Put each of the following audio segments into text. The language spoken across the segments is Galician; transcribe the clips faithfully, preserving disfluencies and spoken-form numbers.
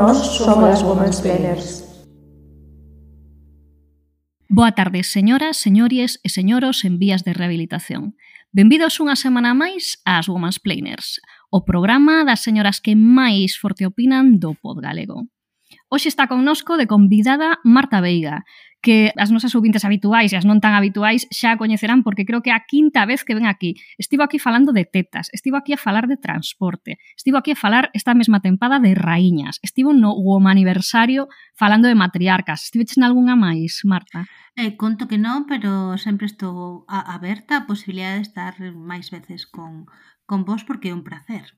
Nós somos as Womansplainers. Boa tarde, señoras, señores e señoros en vías de rehabilitación. Benvidos unha semana máis ás Womansplainers, o programa das señoras que máis forte opinan do pod galego. Hoxe está connosco de convidada Marta Veiga, que as nosas ouvintes habituais e as non tan habituais xa a coñecerán porque creo que é a quinta vez que ven aquí. Estivo aquí falando de tetas, estivo aquí a falar de transporte, estivo aquí a falar esta mesma tempada de raíñas, estivo no Womaniversario falando de matriarcas. Estiveches nalgunha máis, Marta? Eh, conto que non, pero sempre estou a, aberta a posibilidade de estar máis veces con, con vos porque é un placer.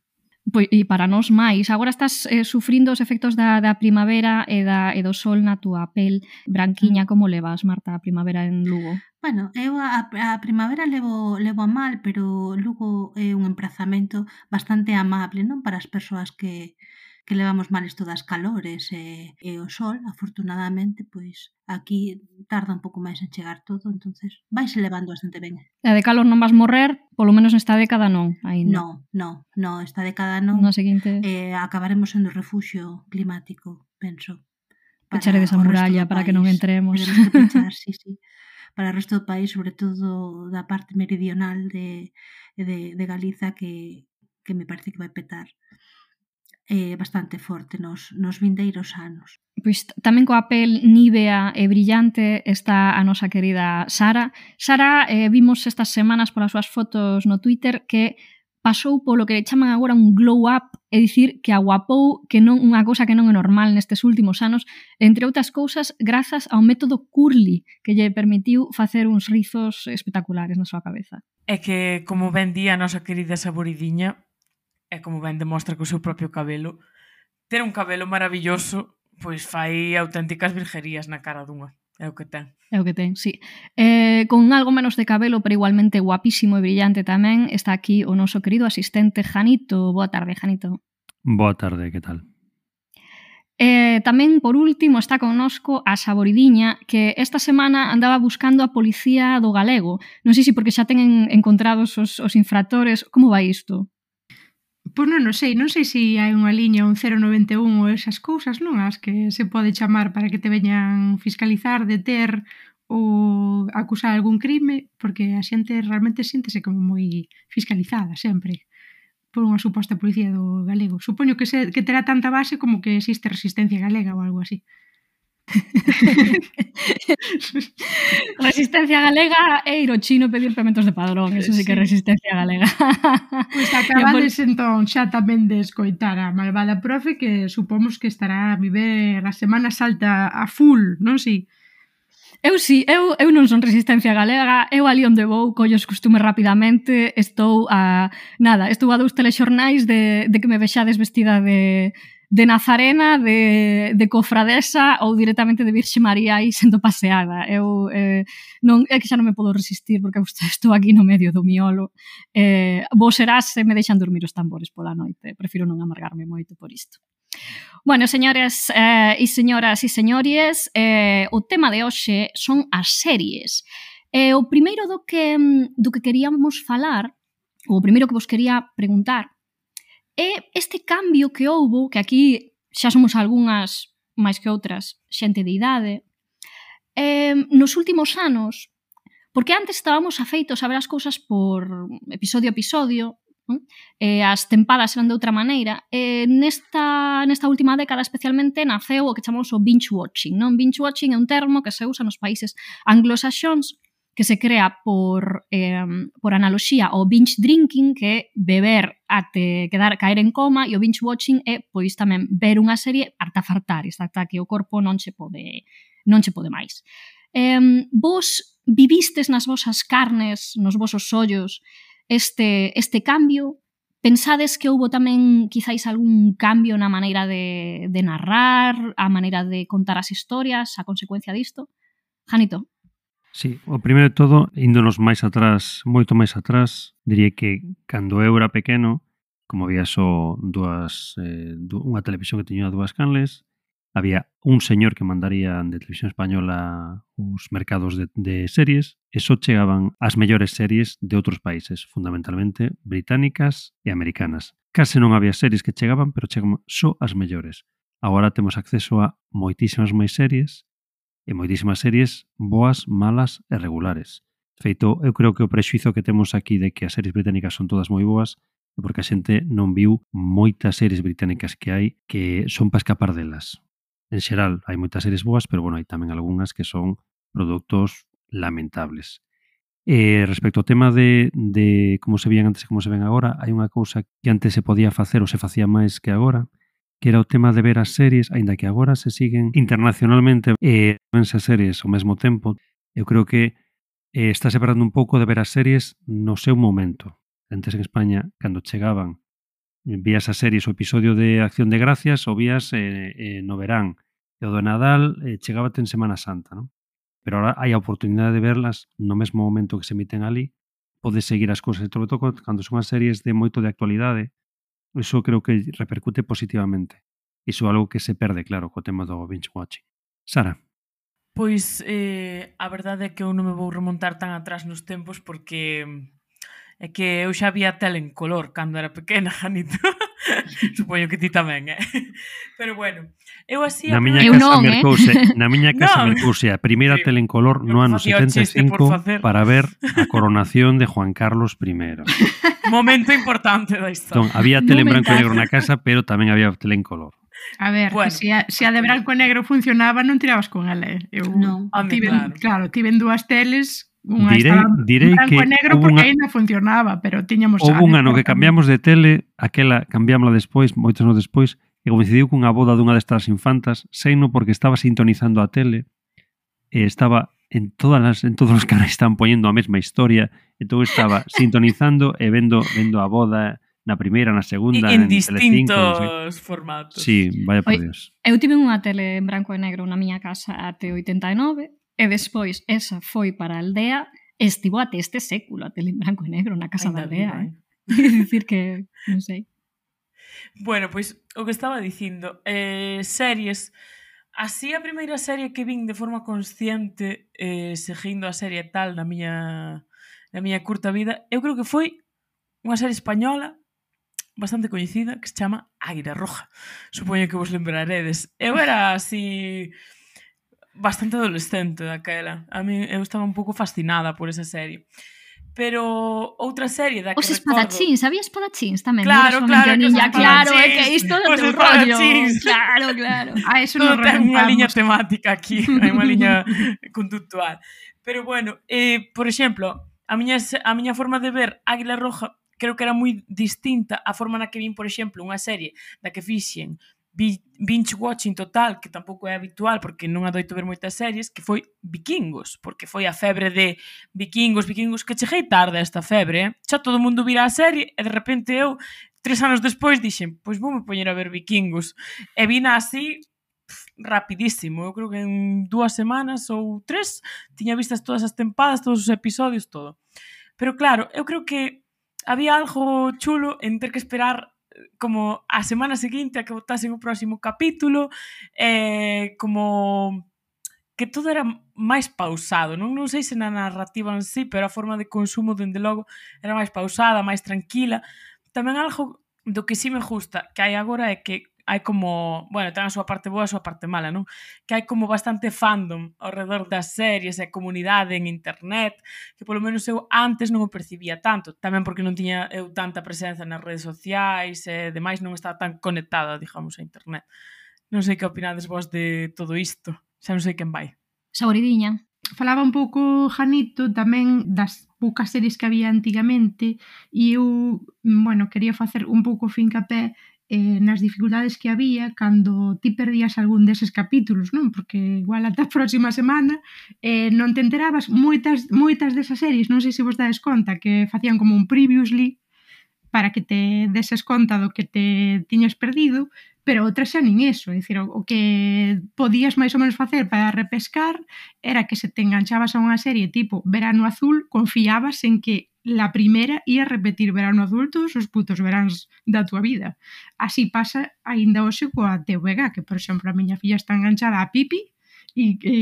Pois, e para nós máis, agora estás eh, sufrindo os efectos da, da primavera e, da, e do sol na túa pel branquiña. Como levas, Marta, a primavera en Lugo? Bueno, eu a, a primavera levo, levo a mal, pero Lugo é un emprazamento bastante amable, non? Para as persoas que, que levamos mal isto das calores e, e o sol, afortunadamente, pois aquí tarda un pouco máis en chegar todo, entonces vaise levando bastante ben. A de calor non vas morrer, polo menos nesta década non, aínda. Non, non, non, esta década non. Na seguinte... Eh, acabaremos sendo refugio climático, penso. Pecharedes a muralla para que non entremos. Teremos que pechar, sí, sí. Para o resto do país, sobre todo da parte meridional de, de, de Galiza, que, que me parece que vai petar eh, bastante forte nos, nos vindeiros anos. Pois tamén coa pel nívea e brillante está a nosa querida Sara. Sara, eh, vimos estas semanas polas súas fotos no Twitter que pasou polo que chaman agora un glow up, é dicir, que aguapou, que non unha cousa que non é normal nestes últimos anos, entre outras cousas, grazas ao método curly, que lle permitiu facer uns rizos espectaculares na súa cabeza. É que, como ben di a nosa querida Saboridiña, e como ben demostra co seu propio cabelo, ter un cabelo maravilloso pois fai auténticas virguerías na cara dunha. É o que ten. É o que ten, sí. Eh, con algo menos de cabelo, pero igualmente guapísimo e brillante tamén, está aquí o noso querido asistente Janito. Boa tarde, Janito. Boa tarde, que tal? Eh, tamén, por último, está connosco a Saboridiña, que esta semana andaba buscando a policía do galego. Non sei se porque xa ten encontrados os, os infractores. Como vai isto? Pois non, non sei, non sei se hai unha liña, un cero noventa e un ou esas cousas, non? As que se pode chamar para que te veñan fiscalizar, deter ou acusar algún crime, porque a xente realmente síntese como moi fiscalizada sempre por unha suposta policía do galego. Supoño que, se, que terá tanta base como que existe resistencia galega ou algo así. Resistencia galega é ir ao chino pedir pementos de padrón. Eso sí que é resistencia galega. Pois acabades entón xa tamén de escoitar a malvada profe, que supomos que estará a viver a Semana Santa a full, non si? Eu sí, eu, eu non son resistencia galega, eu ali onde vou collo os costumes rapidamente, estou a... Nada, estou a dous telexornais de, de que me vexades vestida de... de Nazarena, de, de cofradesa ou directamente de Virxe María aí sendo paseada. Eu eh, non, é que xa non me podo resistir porque estou aquí no medio do miolo. Eh, vos serás se me deixan dormir os tambores pola noite. Prefiro non amargarme moito por isto. Bueno, señores eh, e señoras e señores, eh, o tema de hoxe son as series. Eh, o primeiro do que, do que queríamos falar, ou o primeiro que vos quería preguntar, é este cambio que houbo, que aquí xa somos algunhas máis que outras xente de idade, eh, nos últimos anos, porque antes estábamos afeitos a ver as cousas por episodio a episodio, non? Eh, as tempadas eran de outra maneira, e nesta, nesta última década especialmente naceu o que chamamos o binge watching, non? Binge watching é un termo que se usa nos países anglosaxóns, que se crea por, eh, por analoxía ao binge drinking, que é beber até quedar caer en coma, e o binge watching é pois tamén ver unha serie ata fartar, ata que o corpo non che pode non che pode máis. Eh, vos vivistes nas vosas carnes, nos vosos ollos, este, este cambio? Pensades que houbo tamén quizáis algún cambio na maneira de, de narrar, a maneira de contar as historias, a consecuencia disto? Janito. Sí, o primeiro de todo, índonos máis atrás, moito máis atrás, diría que cando eu era pequeno, como había só dúas, eh, unha televisión que tiña dúas canles, había un señor que mandaría de televisión española os mercados de, de series, e só chegaban as mellores series de outros países, fundamentalmente británicas e americanas. Case non había series que chegaban, pero chegaban só as mellores. agora temos acceso a moitísimas máis series e moitísimas series boas, malas e regulares. Feito, eu creo que o prexuizo que temos aquí de que as series británicas son todas moi boas é porque a xente non viu moitas series británicas que hai que son para escapar delas. En xeral, hai moitas series boas, pero bueno, hai tamén algunhas que son produtos lamentables. E respecto ao tema de, de como se vían antes e como se ven agora, hai unha cousa que antes se podía facer ou se facía máis que agora, que era o tema de ver as series, aínda que agora se siguen internacionalmente e vense as series ao mesmo tempo. Eu creo que eh, está separando un pouco de ver as series no seu momento. Antes en España, cando chegaban, vías as series o episodio de Acción de Gracias ou vías eh, eh, no verán. E o do Nadal eh, chegábate en Semana Santa, non? Pero ahora hai a oportunidade de verlas no mesmo momento que se emiten ali. Podes seguir as cousas. E sobre todo cando son as series de moito de actualidade, iso creo que repercute positivamente. Iso é algo que se perde, claro, co tema do binge watching. Sara? Pois eh, a verdade é que eu non me vou remontar tan atrás nos tempos porque é que eu xa vía tele en color cando era pequena, Janito. Supoño que ti tamén, eh? Pero bueno, eu así... Na miña Eu casa non, eh? mercouse, na miña casa Non. mercouse a primeira Sí. tele en color no Eu ano facía o setenta e chiste por cinco facer. para ver a coronación de Juan Carlos I. Momento importante da historia. Entón, había tele en branco e Momentazo. negro na casa, pero tamén había tele en color. A ver, Bueno. que se a, se a de branco e negro funcionaba, non tirabas con ela. eh. Eu Non. Home, tiven, claro. claro, tiven dúas teles, unha Direi- estaba en direi branco que e negro houve porque unha- ainda funcionaba, pero tiñamos Houve un ano que tamén. cambiamos de tele, aquela cambiámosla despois, moitos anos despois, e coincidiu cunha boda dunha destas infantas, seino porque estaba sintonizando a tele e estaba en todas as, en todos os canais estaban poñendo a mesma historia, entón estaba sintonizando e vendo vendo a boda na primeira, na segunda, en, en Telecinco, non sei. distintos formatos. Sí, vaya por Oi. Dios. Eu tive unha tele en branco e negro na miña casa até oitenta e nove e despois esa foi para a aldea e estivo até este século a tele en branco e negro na casa Ainda da aldea. viva, Eh? É dicir que, non sei. Bueno, pois o que estaba dicindo, eh, series, así a primeira serie que vin de forma consciente, eh, seguindo a serie tal na miña na miña curta vida, eu creo que foi unha serie española bastante coñecida que se chama Águila Roja. Supoño que vos lembraredes. Eu era así bastante adolescente daquela. A mí eu estaba un pouco fascinada por esa serie. Pero outra serie da que Os recordo... espadachíns, había espadachíns tamén. Claro, non era claro, solamente o que os ninja, claro, é que espadachíns, isto do os teu rollo. espadachíns. Claro, claro. A eso Todo nos ten unha liña remontamos. temática aquí, hai unha liña conductual. Pero bueno, eh, por exemplo, a miña, se- a miña forma de ver Águila Roja creo que era moi distinta a forma na que vin, por exemplo, unha serie da que fixen bi- binge watching total, que tampouco é habitual porque non adoito ver moitas series, que foi Vikingos, porque foi a febre de Vikingos, Vikingos, que cheguei tarde a esta febre, eh? Xa todo o mundo vira a serie e de repente eu, tres anos despois, dixen, pois voume poñer a ver Vikingos. E vina así pff, rapidísimo, eu creo que en dúas semanas ou tres tiña vistas todas as tempadas, todos os episodios, todo. Pero claro, eu creo que había algo chulo en ter que esperar eh, como a semana seguinte a que botasen o próximo capítulo, eh, como que todo era máis pausado, non non sei se na narrativa en sí, pero a forma de consumo, dende logo, era máis pausada, máis tranquila. Tamén algo do que sí me gusta que hai agora é que hai como, bueno, ten a súa parte boa e a súa parte mala, non? Que hai como bastante fandom ao redor das series e comunidade en internet, que polo menos eu antes non o percibía tanto, tamén porque non tiña eu tanta presenza nas redes sociais e demais, non estaba tan conectada, digamos, a internet. Non sei que opinades vos de todo isto, xa non sei quen vai. Saboridiña. Falaba un pouco Janito tamén das poucas series que había antigamente e eu, bueno, quería facer un pouco fincapé eh, nas dificultades que había cando ti perdías algún deses capítulos, non? Porque igual ata a próxima semana eh, non te enterabas moitas, moitas desas series, non sei se vos dades conta, que facían como un previously para que te deses conta do que te tiñas perdido, pero outras xa nin eso, é dicir, o, o que podías máis ou menos facer para repescar era que se te enganchabas a unha serie tipo Verano Azul, confiabas en que la primera ia repetir Verano Azul todos os putos veráns da tua vida. Así pasa aínda hoxe coa T V G, que por exemplo a miña filla está enganchada a Pipi E, e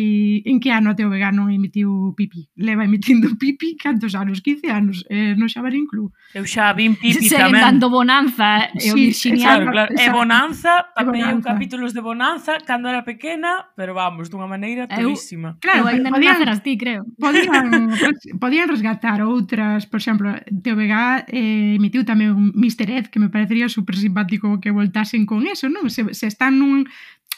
en que ano a T V G non emitiu Pipi? Leva emitindo Pipi cantos anos? quince anos, eh, no Xabarín Club. Eu xa vin Pipi Seguen tamén. dando Bonanza e o Sí, Virginiano. Claro, claro. E Bonanza, papei eu Bonanza. capítulos de Bonanza cando era pequena, pero vamos, dunha maneira Eu- torísima. Claro, Eu ainda non podían, naceras ti, creo. podían, podían resgatar outras, por exemplo, T V G eh, emitiu tamén un mister Ed, que me parecería super simpático que voltasen con eso, non? Se, se están nun,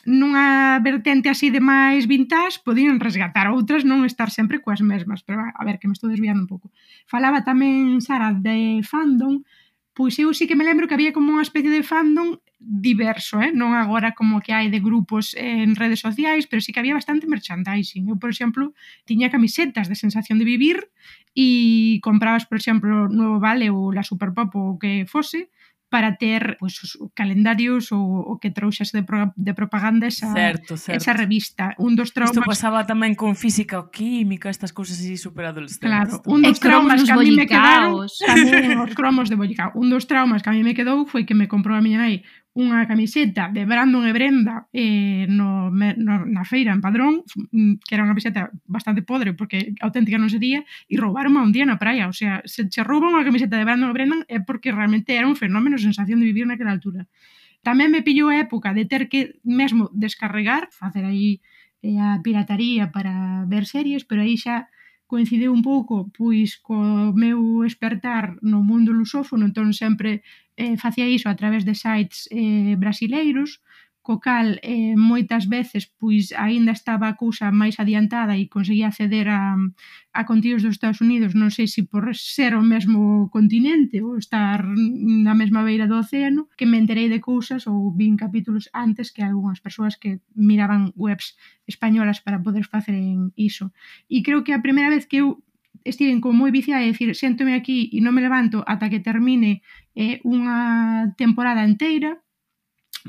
nunha vertente así de máis vintage, podían resgatar outras, non estar sempre coas mesmas, pero a ver, que me estou desviando un pouco. Falaba tamén, Sara, de fandom, pois eu sí que me lembro que había como unha especie de fandom diverso, eh? Non agora como que hai de grupos en redes sociais, pero sí que había bastante merchandising. Eu, por exemplo, tiña camisetas de Sensación de Vivir e comprabas, por exemplo, Nuevo Vale ou La Superpop ou o que fose, para ter pues, os calendarios ou o que trouxas de, pro, de propaganda esa, Certo, certo. esa revista. Un dos Isto traumas... pasaba tamén con física ou química, estas cousas así super adolescentes. Claro, tamén. un dos E cromos traumas nos que a mí me quedaron bollicaos. tamén os cromos de bollicao. Un dos traumas que a mí me quedou foi que me comprou a miña nai unha camiseta de Brandon e Brenda eh, no, no, na feira en Padrón, que era unha camiseta bastante podre porque auténtica non sería, e roubaron un día na praia. O sea, se che rouban unha camiseta de Brandon e Brenda é porque realmente era un fenómeno, sensación de vivir naquela altura. Tamén me pillou a época de ter que mesmo descarregar, facer aí eh, a pirataría para ver series, pero aí xa coincideu un pouco pois co meu espertar no mundo lusófono, entón sempre eh, facía iso a través de sites eh, brasileiros, co cal eh, moitas veces pois aínda estaba a cousa máis adiantada e conseguía acceder a, a contidos dos Estados Unidos, non sei se por ser o mesmo continente ou estar na mesma beira do océano, que me enterei de cousas ou vin capítulos antes que algunhas persoas que miraban webs españolas para poder facer en iso. E creo que a primeira vez que eu estiven como moi viciada, é dicir, séntome aquí e non me levanto ata que termine eh, unha temporada inteira,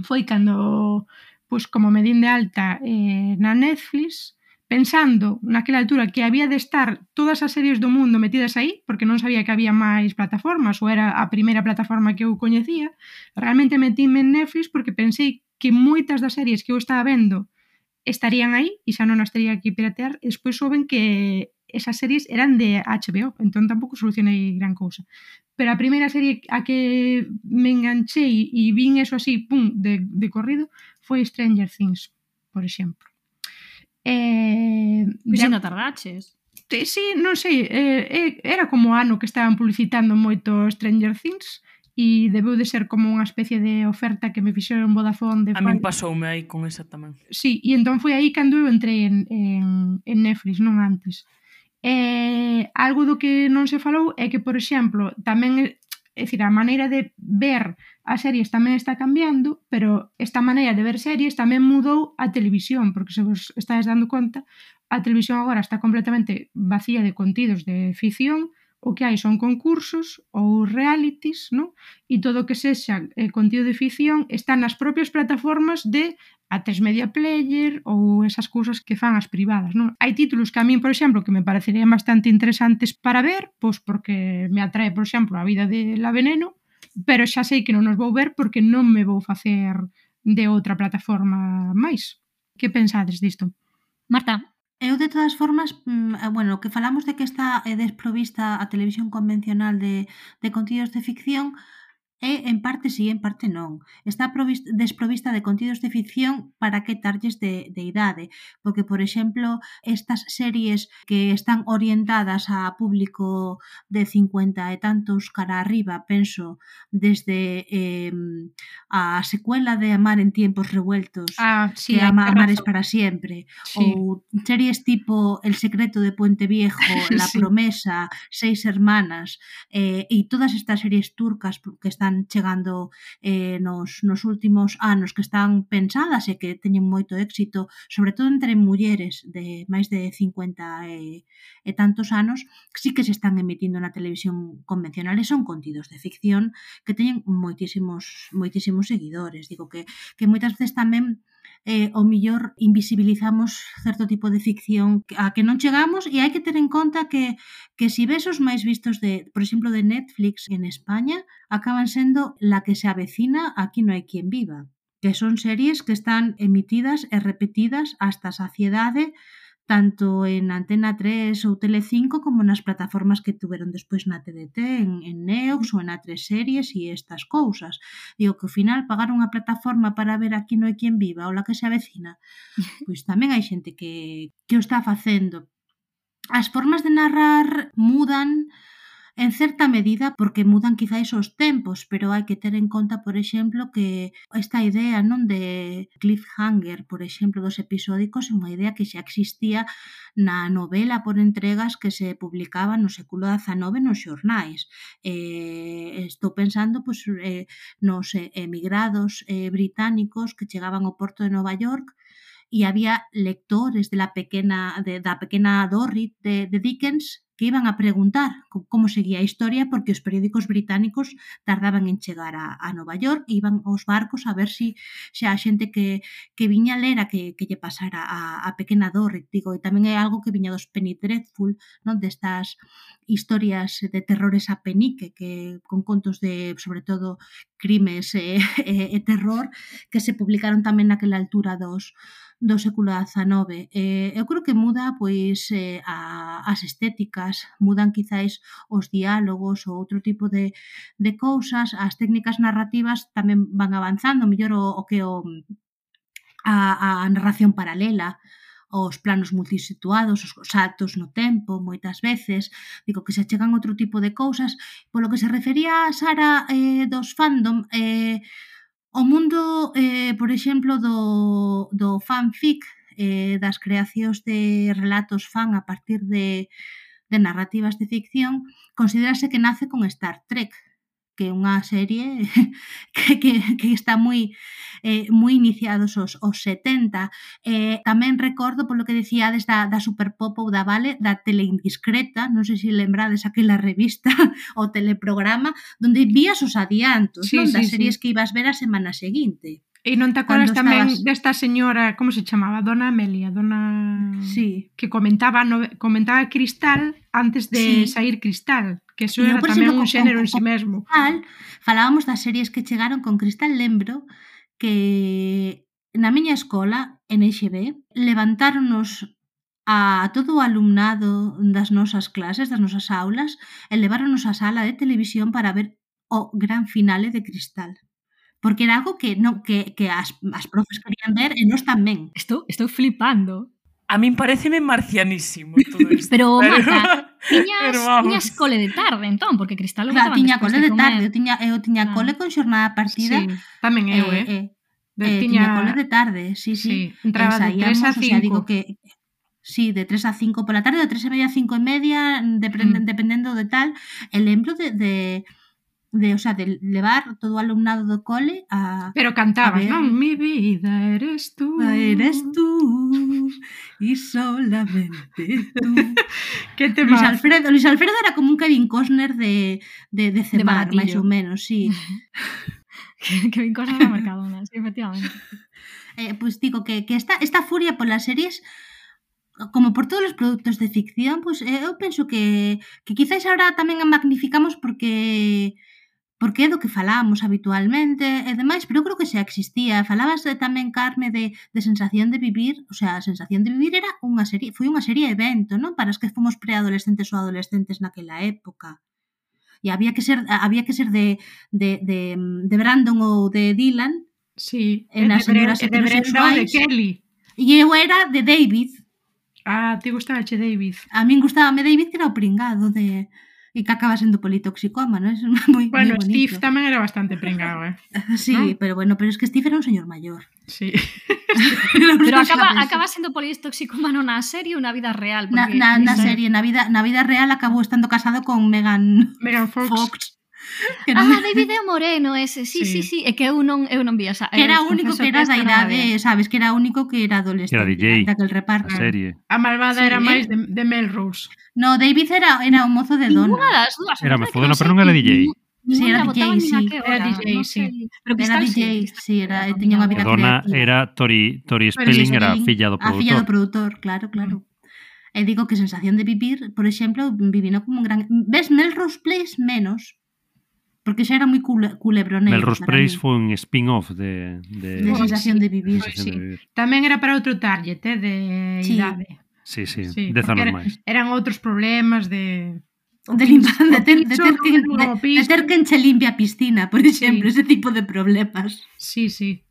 foi cando, pois, como me din de alta eh, na Netflix, pensando naquela altura que había de estar todas as series do mundo metidas aí, porque non sabía que había máis plataformas, ou era a primeira plataforma que eu coñecía, realmente metíme en Netflix porque pensei que moitas das series que eu estaba vendo estarían aí e xa non as teria que piratear, e despois souben que esas series eran de H B O, entón tampouco solucionei gran cousa. Pero a primeira serie a que me enganchei e vin eso así, pum, de, de corrido, foi Stranger Things, por exemplo. Eh, Pois de... ainda tardaches. Sí, non sei, eh, era como ano que estaban publicitando moito Stranger Things e debeu de ser como unha especie de oferta que me fixeron Vodafone de A min pasoume aí con esa tamén. Sí, e entón foi aí cando eu entrei en, en, en Netflix, non antes. Eh, algo do que non se falou é que, por exemplo, tamén, é dicir, a maneira de ver as series tamén está cambiando, pero esta maneira de ver series tamén mudou a televisión, porque se vos estáis dando conta, a televisión agora está completamente vacía de contidos de ficción, o que hai son concursos ou realities, non? E todo o que sexa eh, contido de ficción está nas propias plataformas de a tres Media Player ou esas cousas que fan as privadas, non? Hai títulos que a min, por exemplo, que me parecerían bastante interesantes para ver, pois porque me atrae, por exemplo, a vida de La Veneno, pero xa sei que non os vou ver porque non me vou facer de outra plataforma máis. Que pensades disto? Marta. Eu, de todas formas, bueno, que falamos de que está desprovista a televisión convencional de, de contidos de ficción, e en parte sí, en parte non. Está provista, desprovista de contidos de ficción para que tarlles de, de idade, porque, por exemplo, estas series que están orientadas a público de cincuenta e tantos cara arriba, penso, desde eh, a secuela de Amar en tiempos revueltos, ah, sí, que ama Amares para siempre, sí. ou series tipo El secreto de Puente Viejo, La sí. promesa, Seis hermanas, eh, e todas estas series turcas que están chegando eh, nos, nos últimos anos, que están pensadas e que teñen moito éxito, sobre todo entre mulleres de máis de cincuenta e, e tantos anos, sí que se están emitindo na televisión convencional e son contidos de ficción que teñen moitísimos moitísimos seguidores. Digo que, que moitas veces tamén eh, o millor invisibilizamos certo tipo de ficción a que non chegamos, e hai que ter en conta que, que si ves os máis vistos de, por exemplo, de Netflix en España, acaban sendo La que se avecina, Aquí no hai quien viva. que son series que están emitidas e repetidas hasta a saciedade tanto en Antena tres ou Telecinco como nas plataformas que tuveron despois na T D T, en, en Neox ou en A tres Series e estas cousas. Digo que ao final pagar unha plataforma para ver Aquí non hai quen viva ou La que se avecina, pois tamén hai xente que, que o está facendo. As formas de narrar mudan en certa medida porque mudan quizáis os tempos, pero hai que ter en conta, por exemplo, que esta idea non de cliffhanger, por exemplo, dos episódicos é unha idea que xa existía na novela por entregas que se publicaba no século dezanove nos xornais. Eh, estou pensando pois, eh, nos emigrados eh, británicos que chegaban ao porto de Nova York e había lectores de la pequena, de, da pequena Dorrit de, de Dickens que iban a preguntar como seguía a historia porque os periódicos británicos tardaban en chegar a, a Nova York e iban aos barcos a ver si xa a xente que, que viña a ler a que, que lle pasara a, a pequena Dorrit, digo, e tamén é algo que viña dos Penny Dreadful, non, destas historias de terrores a penique, que con contos de, sobre todo, crimes e, e, e terror, que se publicaron tamén naquela altura dos do século dezanove. Eh, eu creo que muda pois eh, a, as estéticas, mudan quizáis os diálogos ou outro tipo de, de cousas, as técnicas narrativas tamén van avanzando, mellor o, o que o, a, a narración paralela, os planos multisituados, os saltos no tempo, moitas veces, digo que se chegan outro tipo de cousas. Polo que se refería a Sara eh, dos fandom, eh, o mundo, eh, por exemplo, do, do fanfic, eh, das creacións de relatos fan a partir de, de narrativas de ficción, considerase que nace con Star Trek, que é unha serie que, que, que está moi eh, moi iniciados os, os setenta. Eh, tamén recordo, polo que decíades da, da Superpop ou da Vale, da Teleindiscreta, non sei se lembrades aquela revista ou teleprograma, donde vías os adiantos, sí, non? Sí, das series sí. que ibas ver a semana seguinte. E non te acordas tamén estabas... desta señora, como se chamaba? Dona Amelia, dona... Sí. Que comentaba no... comentaba Cristal antes de Sí. sair Cristal, que eso Eu, era por tamén exemplo, un con- xénero en con- si mesmo. Cristal, falábamos das series que chegaron con Cristal, lembro que na miña escola, en X B, levantáronos a todo o alumnado das nosas clases, das nosas aulas, e leváronos á sala de televisión para ver o gran finale de Cristal. Porque era algo que non que, que as, as profes querían ver e nós tamén. Estou, estou flipando. A min pareceme marcianísimo todo isto. Pero, Marta, tiñas, pero vamos. tiñas cole de tarde, entón, porque Cristal o Claro, botaban tiña despois cole de comer. tarde, eu tiña, eu tiña Claro. cole con xornada partida. Sí, tamén eu, eh? eh, De, eh, tiña... tiña cole de tarde, sí, sí. Sí, entraba de tres a Ensaiamos, o sea, digo cinco. que sí, de tres a cinco pola tarde, de tres e media a cinco e media, depende, Mm. dependendo de tal. E lembro de, de, de, o sea, de levar todo o alumnado do cole a... Pero cantabas, A ver. non? Mi vida eres tú. Eres tú y solamente tú. Que te Luis vas. Alfredo, Luis Alfredo era como un Kevin Costner de, de, de cebar, máis baratillo. ou menos, sí. que, que bien cosas na Mercadona, sí, efectivamente. Eh, pues digo que, que esta, esta furia polas series, como por todos os produtos de ficción, pues eh, eu penso que, que quizáis ahora tamén a magnificamos porque porque é do que falábamos habitualmente e demais, pero eu creo que xa existía. Falabas de, tamén, Carme, de, de Sensación de Vivir, o sea, a Sensación de Vivir era unha serie, foi unha serie evento, non? Para os que fomos preadolescentes ou adolescentes naquela época. E había que ser había que ser de, de, de, de Brandon ou de Dylan, Sí, en e as de Bre- señoras e de Brenda ou de heterosexuais. Kelly. e eu era de David. Ah, te gustaba che David. A min gustábame David, que era o pringado de... E que acaba sendo politoxicómano, é moi, Bueno, moi Steve bonito. tamén era bastante pringado, eh? Sí, ¿no? pero bueno, pero es que Steve era un señor mayor. Sí. Pero Non acaba, sabes. acaba sendo politóxicomano na serie ou na vida real? Na, Porque, na, na non sei. serie, na vida, na vida real acabou estando casado con Megan Megan Fox. Fox. Que, Ah, non, David é o moreno ese, sí, sí, Sí. sí, é que eu non, eu non vi esa. que era eu o único confeso que era esta da non a idade, vi. sabes, que era o único que era adolescente. Era D J. Daquel reparto. A serie. A malvada Sí, era eh? máis de, de Melrose. No, David era, era o mozo de Ninguna Donna. das dúas. Era a verdade Mezzo que Donna, non pero sei non era que D J. ningún- Sí, ninguna era botaban D J, nin a sí. que Era hora, D J, non sí. sei. Pero Era Cristal D J, sí. sí, era, Era tiña unha E vida Donna creativa. era Tori, Tori Spelling, era a filla do A filla do produtor. produtor, claro, claro. E digo que Sensación de Vivir, por exemplo, vivino como un gran... Ves, Melrose Place menos, porque xa era moi cule, culebroneiro. Melrose Place foi un spin-off de... De, de sensación sí, de vivir. sensación sí. de vivir. Tamén era para outro target, eh, de Sí. idade. Sí, sí, Sí, dez porque anos era, máis. eran outros problemas de... De, limpa, de, ter, de, piso, ter que, no, de, no, de piso. ter quen che limpia a piscina, por exemplo, Sí. ese tipo de problemas. Sí, sí.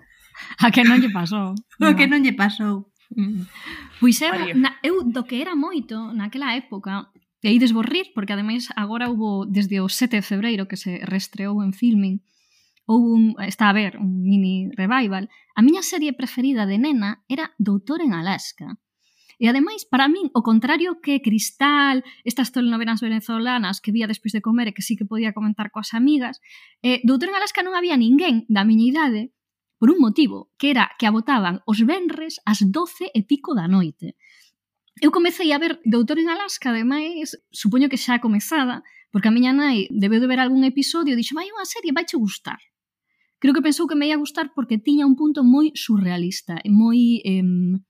A que non lle pasou. O que non lle pasou. Mm. Pois eu, María. na, eu do que era moito naquela época, e aí desborrir, porque ademais agora hubo desde o sete de febreiro que se restreou en filming, houve un, está a ver, un mini revival. A miña serie preferida de nena era Doutor en Alaska. E ademais, para min, o contrario que Cristal, estas telenovelas venezolanas que vía despois de comer e que sí que podía comentar coas amigas, eh, Doutor en Alaska non había ninguén da miña idade por un motivo, que era que a botaban os venres ás doce e pico da noite. Eu comecei a ver Doutor en Alaska, ademais, supoño que xa comezada, porque a miña nai debeu de ver algún episodio e dixo, vai unha serie, vaiche gustar. Creo que pensou que me ia gustar porque tiña un punto moi surrealista, moi... Eh,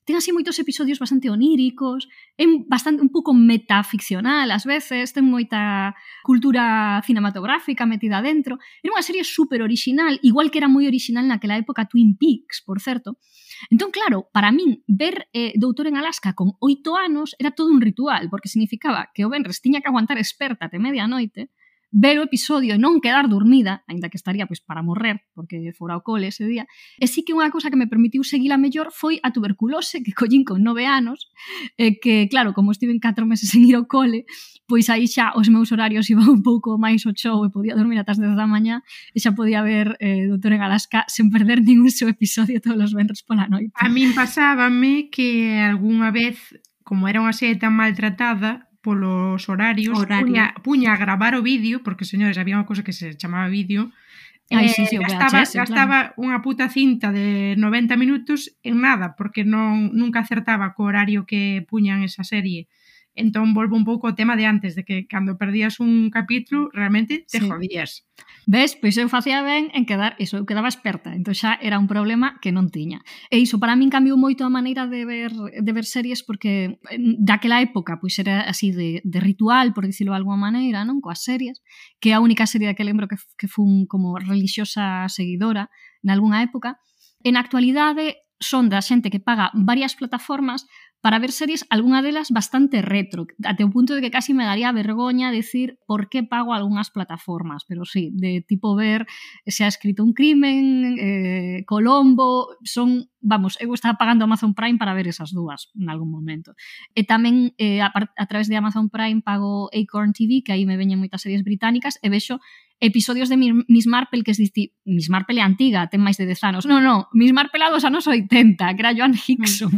ten así moitos episodios bastante oníricos, é bastante un pouco metaficcional ás veces, ten moita cultura cinematográfica metida dentro. Era unha serie super original, igual que era moi original naquela época Twin Peaks, por certo. Entón, claro, para min, ver eh, Doutor en Alaska con oito anos era todo un ritual, porque significaba que o venres tiña que aguantar experta até medianoite, ver o episodio e non quedar dormida, aínda que estaría pois, para morrer, porque fora o cole ese día. E sí que unha cousa que me permitiu seguila mellor foi a tuberculose que collín con nove anos, e que, claro, como estive en catro meses sen ir ao cole, pois aí xa os meus horarios iban un pouco máis ao show e podía dormir ata as dez da mañá e xa podía ver eh, Doutor en Alaska sen perder ningún seu episodio todos os venres pola noite. A min pasábame que algunha vez, como era unha serie tan maltratada, polos horarios, Horario. puña, puña a gravar o vídeo, porque, señores, había unha cosa que se chamaba vídeo, Ai, eh, sí, sí, o gastaba, V H S, gastaba unha puta cinta de noventa minutos en nada, porque non nunca acertaba co horario que puñan esa serie. Entón, volvo un pouco ao tema de antes, de que cando perdías un capítulo, realmente te Sí. jodías. Ves? Pois eu facía ben en quedar, iso, eu quedaba experta, entón xa era un problema que non tiña. E iso para min cambiou moito a maneira de ver, de ver series porque daquela época pois era así de, de ritual, por dicirlo de alguma maneira, non? Coas series, que é a única serie que lembro que, que fun como religiosa seguidora nalgúna época. En actualidade son da xente que paga varias plataformas para ver series, algunha delas bastante retro, até o punto de que casi me daría vergoña decir por que pago algunhas plataformas, pero sí, de tipo ver se ha escrito un crimen, eh, Colombo, son, vamos, eu estaba pagando Amazon Prime para ver esas dúas en algún momento. E tamén eh, a, a través de Amazon Prime pago Acorn T V, que aí me veñen moitas series británicas, e vexo episodios de Miss Marple, que es disti... Miss Marple é antiga, ten máis de dez anos. Non, non, Miss Marple a dos anos oitenta, que era Joan Hickson,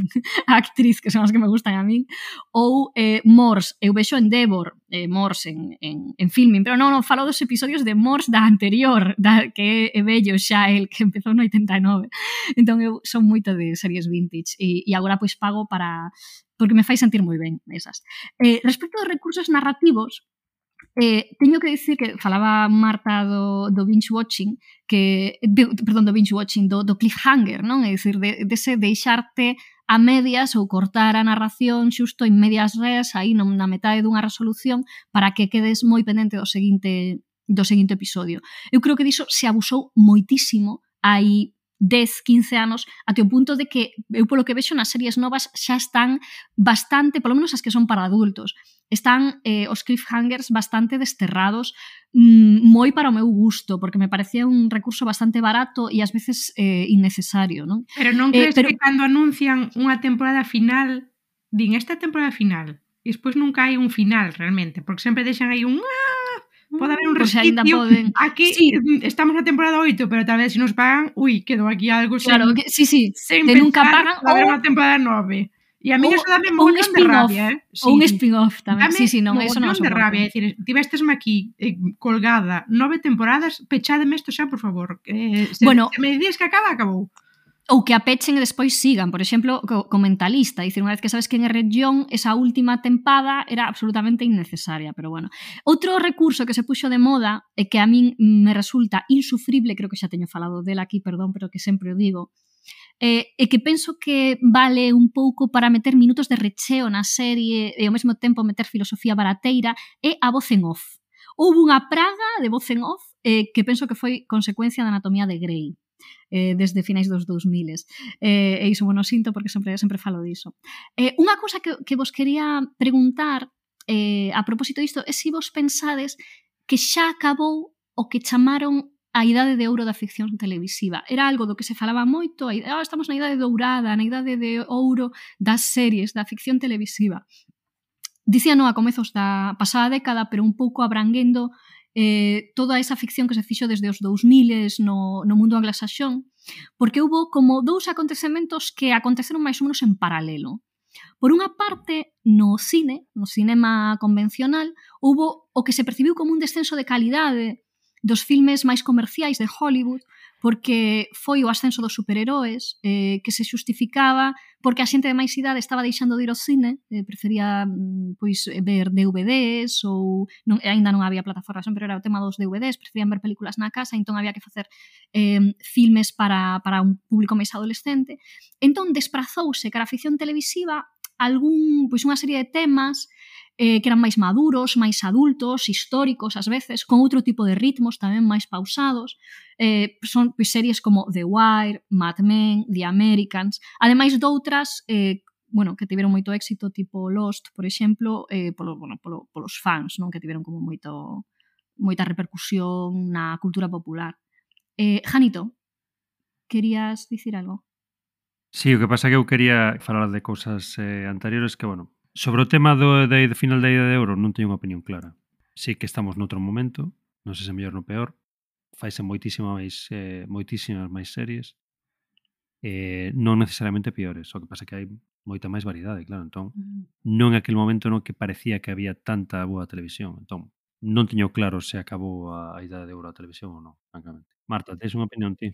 a actriz, que son as que me gustan a min. Ou eh, Morse, eu vexo Endeavor, eh, Morse en, en, en filming, pero non, non, falo dos episodios de Morse da anterior, da, que é bello xa, el que empezou no oitenta e nove. Entón eu son moito de series vintage e, e agora pois pago para... porque me fai sentir moi ben esas. Eh, respecto aos recursos narrativos, Eh, teño que dicir que falaba Marta do, do binge watching, que, de, perdón, do binge watching, do, do cliffhanger, non? É dicir, de, de ese deixarte a medias ou cortar a narración xusto en medias res, aí na metade dunha resolución, para que quedes moi pendente do seguinte, do seguinte episodio. Eu creo que diso se abusou moitísimo hai dez, quince anos, até o punto de que eu polo que vexo nas series novas xa están bastante, polo menos as que son para adultos, están eh, os cliffhangers bastante desterrados, mmm, moi para o meu gusto, porque me parecía un recurso bastante barato e ás veces eh, innecesario, non? Pero non crees eh, pero... que cando anuncian unha temporada final, din esta temporada final, e despois nunca hai un final realmente, porque sempre deixan aí un... Pode haber un resquicio, poden... aquí sí. Estamos na temporada oito, pero tal vez se nos pagan, ui, quedou aquí algo sen, claro, que, sí, sí, sen que pensar, nunca pagan, pode haber ou... unha temporada nove. E a mí eso dame un montón de rabia, eh? Sí, ou un spin-off tamén, dame sí, sí, non, eso non de rabia, é dicir, tivestesme aquí eh, colgada nove temporadas, pechádeme isto xa, por favor. Eh, se, bueno, se me dices que acaba, acabou. Ou que a pechen e despois sigan, por exemplo, co, co Mentalista, dicir, unha vez que sabes que en Errejón esa última tempada era absolutamente innecesaria, pero bueno. Outro recurso que se puxo de moda e que a min me resulta insufrible, creo que xa teño falado dela aquí, perdón, pero que sempre o digo, eh, e que penso que vale un pouco para meter minutos de recheo na serie e ao mesmo tempo meter filosofía barateira, é a voz en off. Houve unha praga de voz en off eh, que penso que foi consecuencia da Anatomía de Grey, eh, desde finais dos dous miles. Eh, e iso, bueno, sinto porque sempre sempre falo diso. Eh, unha cousa que, que vos quería preguntar eh, a propósito disto é se vos pensades que xa acabou o que chamaron a idade de ouro da ficción televisiva. Era algo do que se falaba moito, ah, estamos na idade dourada, na idade de ouro das series, da ficción televisiva. Dicíano a comezos da pasada década, pero un pouco abranguendo eh, toda esa ficción que se fixo desde os dous miles no, no mundo anglosaxón, porque houve como dous acontecementos que aconteceron máis ou menos en paralelo. Por unha parte, no cine, no cinema convencional, houve o que se percibiu como un descenso de calidade dos filmes máis comerciais de Hollywood, porque foi o ascenso dos superheróis eh, que se justificaba porque a xente de máis idade estaba deixando de ir ao cine, eh, prefería pois ver D V Ds ou non, ainda non había plataformas, pero era o tema dos D V Ds, preferían ver películas na casa, entón había que facer eh, filmes para, para un público máis adolescente. Entón desprazouse cara a ficción televisiva algún, pois unha serie de temas eh, que eran máis maduros, máis adultos, históricos ás veces, con outro tipo de ritmos tamén máis pausados. Eh, son pois, series como The Wire, Mad Men, The Americans, ademais doutras eh, bueno, que tiveron moito éxito, tipo Lost, por exemplo, eh, polo, bueno, polo, polos fans, non, que tiveron como moito moita repercusión na cultura popular. Eh, Janito, querías dicir algo? Sí, o que pasa é que eu quería falar de cousas eh, anteriores que, bueno, sobre o tema do, de, de final da ida de euro non teño unha opinión clara. Sí que estamos noutro momento, non sei se mellor no peor, faise moitísima máis, eh, moitísimas máis series, eh, non necesariamente peores, o que pasa é que hai moita máis variedade, claro, entón non é aquel momento no que parecía que había tanta boa televisión, entón non teño claro se acabou a, a idade de euro a televisión ou non, francamente. Marta, tens unha opinión ti?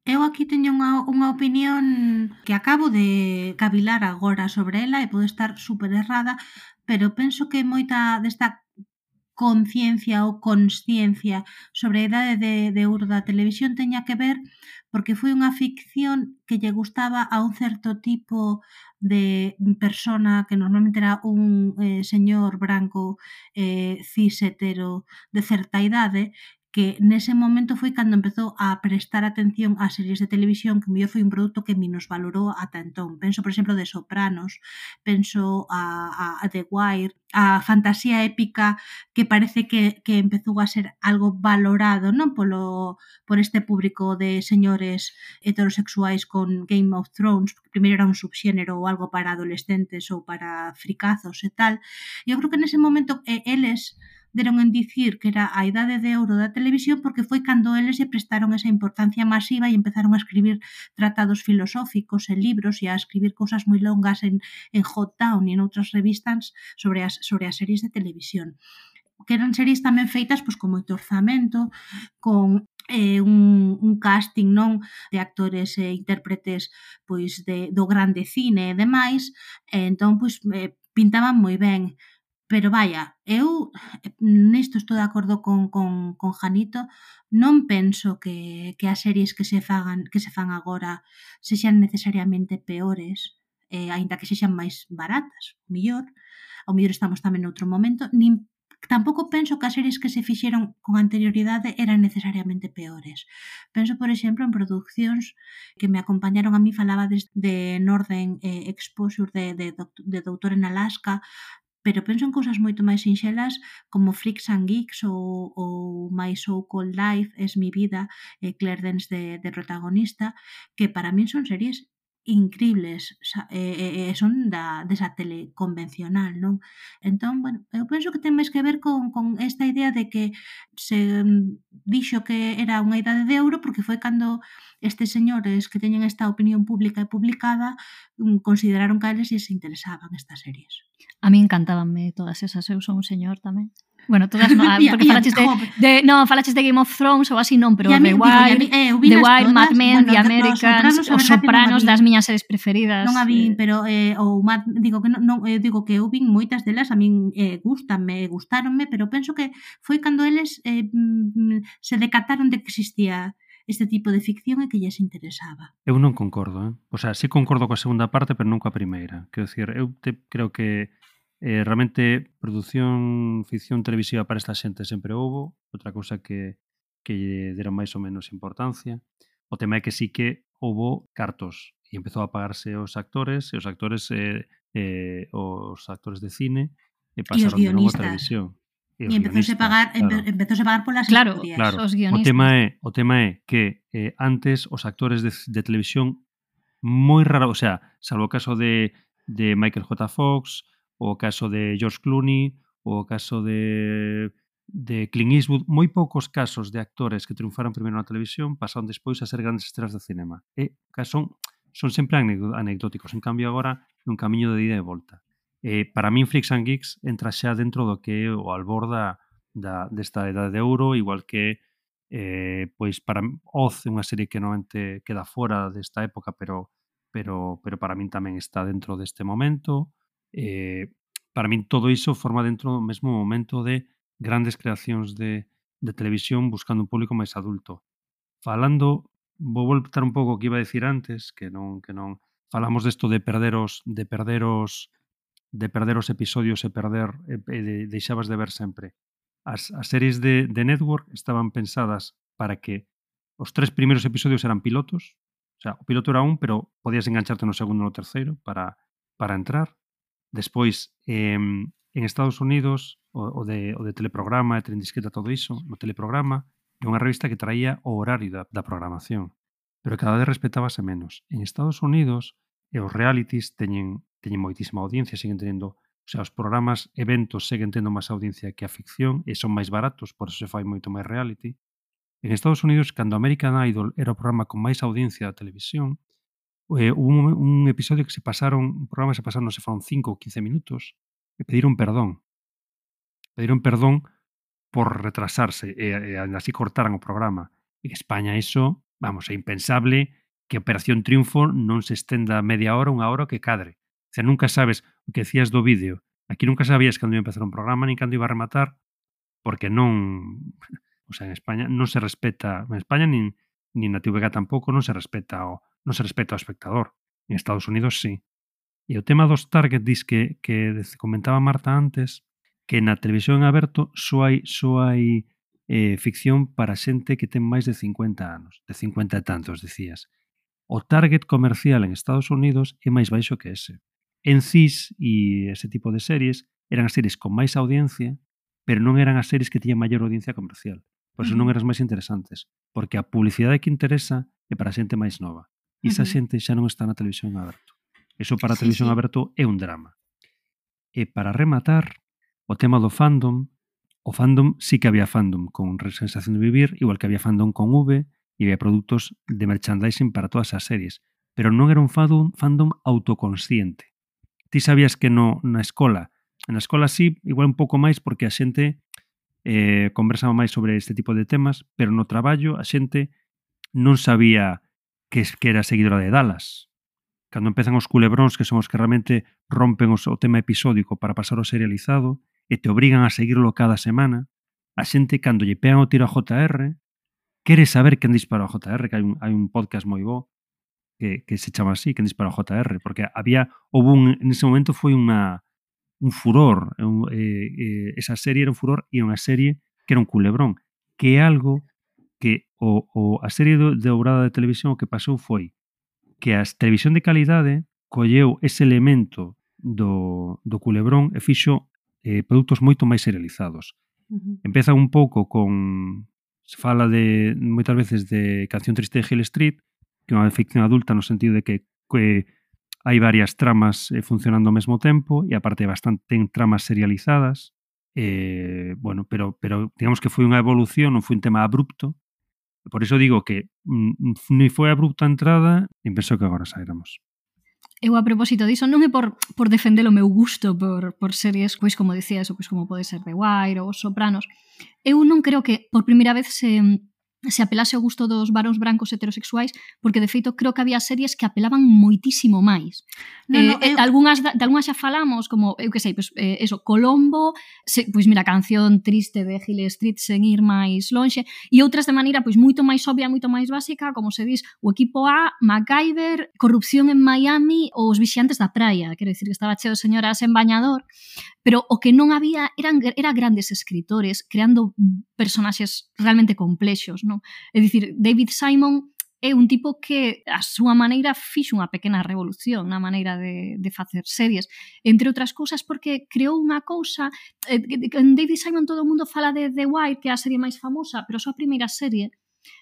Eu aquí teño unha, unha opinión que acabo de cavilar agora sobre ela e pode estar super errada, pero penso que moita desta conciencia ou consciencia sobre a idade de, de ouro da televisión teña que ver porque foi unha ficción que lle gustaba a un certo tipo de persona que normalmente era un eh, señor branco eh, cis hetero de certa idade, que nese momento foi cando empezou a prestar atención ás series de televisión, que mellor foi un produto que minusvalorou ata entón. Penso, por exemplo, de Sopranos, penso a, a, a The Wire, a fantasía épica que parece que, que empezou a ser algo valorado, non polo por este público de señores heterosexuais con Game of Thrones, porque primeiro era un subxénero ou algo para adolescentes ou para fricazos e tal. Eu creo que nese momento eh, eles deron en dicir que era a idade de ouro da televisión porque foi cando eles lle prestaron esa importancia masiva e empezaron a escribir tratados filosóficos e libros e a escribir cousas moi longas en, en Hot Town e en outras revistas sobre as, sobre as series de televisión. Que eran series tamén feitas pois, con moito orzamento, con eh, un, un casting non de actores e intérpretes pois de, do grande cine e demais, e entón pois, eh, pintaban moi ben. Pero vaya, eu nisto estou de acordo con, con, con Janito, non penso que, que as series que se fagan que se fan agora sexan necesariamente peores, eh, aínda que sexan máis baratas, o mellor, o mellor estamos tamén noutro momento, nin tampouco penso que as series que se fixeron con anterioridade eran necesariamente peores. Penso, por exemplo, en producións que me acompañaron a mí, falaba de, de Northern eh, Exposure de, de, de Doutor en Alaska, pero penso en cousas moito máis sinxelas como Freaks and Geeks ou, ou My So-Called Life, Es mi vida, eh, Claire Danes de, de protagonista, que para min son series increíbles, e eh, eh, son da, desa tele convencional, non? Entón, bueno, eu penso que ten máis que ver con, con esta idea de que se dixo que era unha idade de ouro porque foi cando estes señores que teñen esta opinión pública e publicada consideraron que a eles se interesaban estas series. A mí encantábanme todas esas, eu son un señor tamén. Bueno, todas non, porque falaches de, de no, falaches de Game of Thrones ou así non, pero The Wire, eh, The Wire, Mad Men, bueno, The Americans, os Sopranos, Sopranos das miñas series preferidas. Non a vin, pero eh, ou Mad, digo que non, non eh, digo que eu vin moitas delas, a min eh, gustanme, gustaronme, pero penso que foi cando eles eh, se decataron de que existía este tipo de ficción e que lles interesaba. Eu non concordo, eh? O sea, sí concordo coa segunda parte, pero non coa primeira. Quero dicir, eu te, creo que Eh, realmente, produción, ficción televisiva para esta xente sempre houbo. Outra cousa que, que lle deron máis ou menos importancia. O tema é que sí que houbo cartos e empezou a pagarse os actores e os actores eh, eh, os actores de cine e pasaron de novo a televisión. E, e empezouse a pagar, claro. empezouse a pagar polas claro, historias. Claro, os O guionistas. tema é, o tema é que eh, antes os actores de, de televisión moi raro, o sea, salvo o caso de, de Michael J. Fox, o caso de George Clooney, o caso de, de Clint Eastwood, moi poucos casos de actores que triunfaron primeiro na televisión pasaron despois a ser grandes estrelas de cinema. E son, son sempre anecdóticos. En cambio, agora é un camiño de ida e volta. Eh, para min, Freaks and Geeks entra xa dentro do que é o albor da, da, desta edade de ouro, igual que eh, pois para Oz é unha serie que normalmente queda fora desta época, pero, pero, pero para min tamén está dentro deste momento. Eh, para min todo iso forma dentro do mesmo momento de grandes creacións de, de televisión buscando un público máis adulto. Falando, vou voltar un pouco o que iba a decir antes, que non que non falamos desto de perder os de perder os de perder os episodios e perder e, e de, deixabas de ver sempre. As, as series de, de Network estaban pensadas para que os tres primeiros episodios eran pilotos, o sea, o piloto era un, pero podías engancharte no segundo ou no terceiro para, para entrar. Despois, eh, en Estados Unidos, o, o, de, o de teleprograma, de tren disqueta, todo iso, no teleprograma, é unha revista que traía o horario da, da programación, pero cada vez respetábase menos. En Estados Unidos, e os realities teñen, teñen moitísima audiencia, siguen teniendo, o sea, os programas, eventos, seguen tendo máis audiencia que a ficción, e son máis baratos, por eso se fai moito máis reality. En Estados Unidos, cando American Idol era o programa con máis audiencia da televisión, Eh, hubo un, un episodio que se pasaron, un programa que se pasaron, non se foron cinco ou quince minutos, e pediron perdón. Pediron perdón por retrasarse, e, e así cortaran o programa. En España iso, vamos, é impensable que Operación Triunfo non se estenda media hora, unha hora, que cadre. O sea, nunca sabes o que decías do vídeo. Aquí nunca sabías cando iba a empezar un programa, nin cando iba a rematar, porque non... O sea, en España non se respeta... En España, nin, nin na T V G tampouco, non se respeta o non se respeta ao espectador. En Estados Unidos, sí. E o tema dos target dis que, que comentaba Marta antes, que na televisión en aberto só hai, só hai eh, ficción para xente que ten máis de cincuenta anos, de cincuenta e tantos, dicías. O target comercial en Estados Unidos é máis baixo que ese. En C I S e ese tipo de series eran as series con máis audiencia, pero non eran as series que tiñan maior audiencia comercial. Por eso non eran as máis interesantes, porque a publicidade que interesa é para a xente máis nova. E esa xente xa non está na televisión aberto. Eso para a sí, televisión sí. aberto é un drama. E para rematar, o tema do fandom, o fandom sí que había fandom con Sensación de Vivir, igual que había fandom con V, e había produtos de merchandising para todas as series. Pero non era un fandom, fandom autoconsciente. Ti sabías que no, na escola, na escola sí, igual un pouco máis porque a xente eh, conversaba máis sobre este tipo de temas, pero no traballo a xente non sabía que, que era seguidora de Dallas. Cando empezan os culebróns, que son os que realmente rompen os, o tema episódico para pasar o serializado, e te obrigan a seguirlo cada semana, a xente, cando lle pegan o tiro a J R, quere saber quen dispara a J R, que hai un, hai un podcast moi bo que, que se chama así, quen dispara a J R, porque había, houve un, en ese momento foi unha, un furor, un, eh, eh, esa serie era un furor, e era unha serie que era un culebrón, que é algo que o, o, a serie do, de obrada de televisión o que pasou foi que a televisión de calidade colleu ese elemento do, do culebrón e fixo eh, produtos moito máis serializados. Uh-huh. Empeza un pouco con... Se fala de moitas veces de Canción Triste de Hill Street, que é unha ficción adulta no sentido de que, que hai varias tramas eh, funcionando ao mesmo tempo e aparte bastante ten tramas serializadas. Eh, bueno, pero, pero digamos que foi unha evolución, non foi un tema abrupto. Por iso digo que mm, ni foi abrupta a entrada, nin penso que agora sairamos. Eu a propósito diso non é por, por defender o meu gusto por, por series, pois como dicía eso, pois como pode ser The Wire ou Os Sopranos. Eu non creo que por primeira vez se, se apelase ao gusto dos varóns brancos heterosexuais, porque de feito creo que había series que apelaban moitísimo máis. No, no, eh, eu... algunhas, de algunhas xa falamos, como, eu que sei, pois, eh, eso, Colombo, se, pois mira, Canción Triste de Hill Street sen ir máis lonxe, e outras de maneira pois moito máis obvia, moito máis básica, como se dis, o Equipo A, MacGyver, Corrupción en Miami ou Os Vixiantes da Praia, quero dicir que estaba cheo de señoras en bañador, pero o que non había eran era grandes escritores creando personaxes realmente complexos, non? É dicir, David Simon é un tipo que a súa maneira fixo unha pequena revolución na maneira de, de facer series, entre outras cousas porque creou unha cousa, eh, en David Simon todo o mundo fala de The Wire, que é a serie máis famosa, pero a súa primeira serie,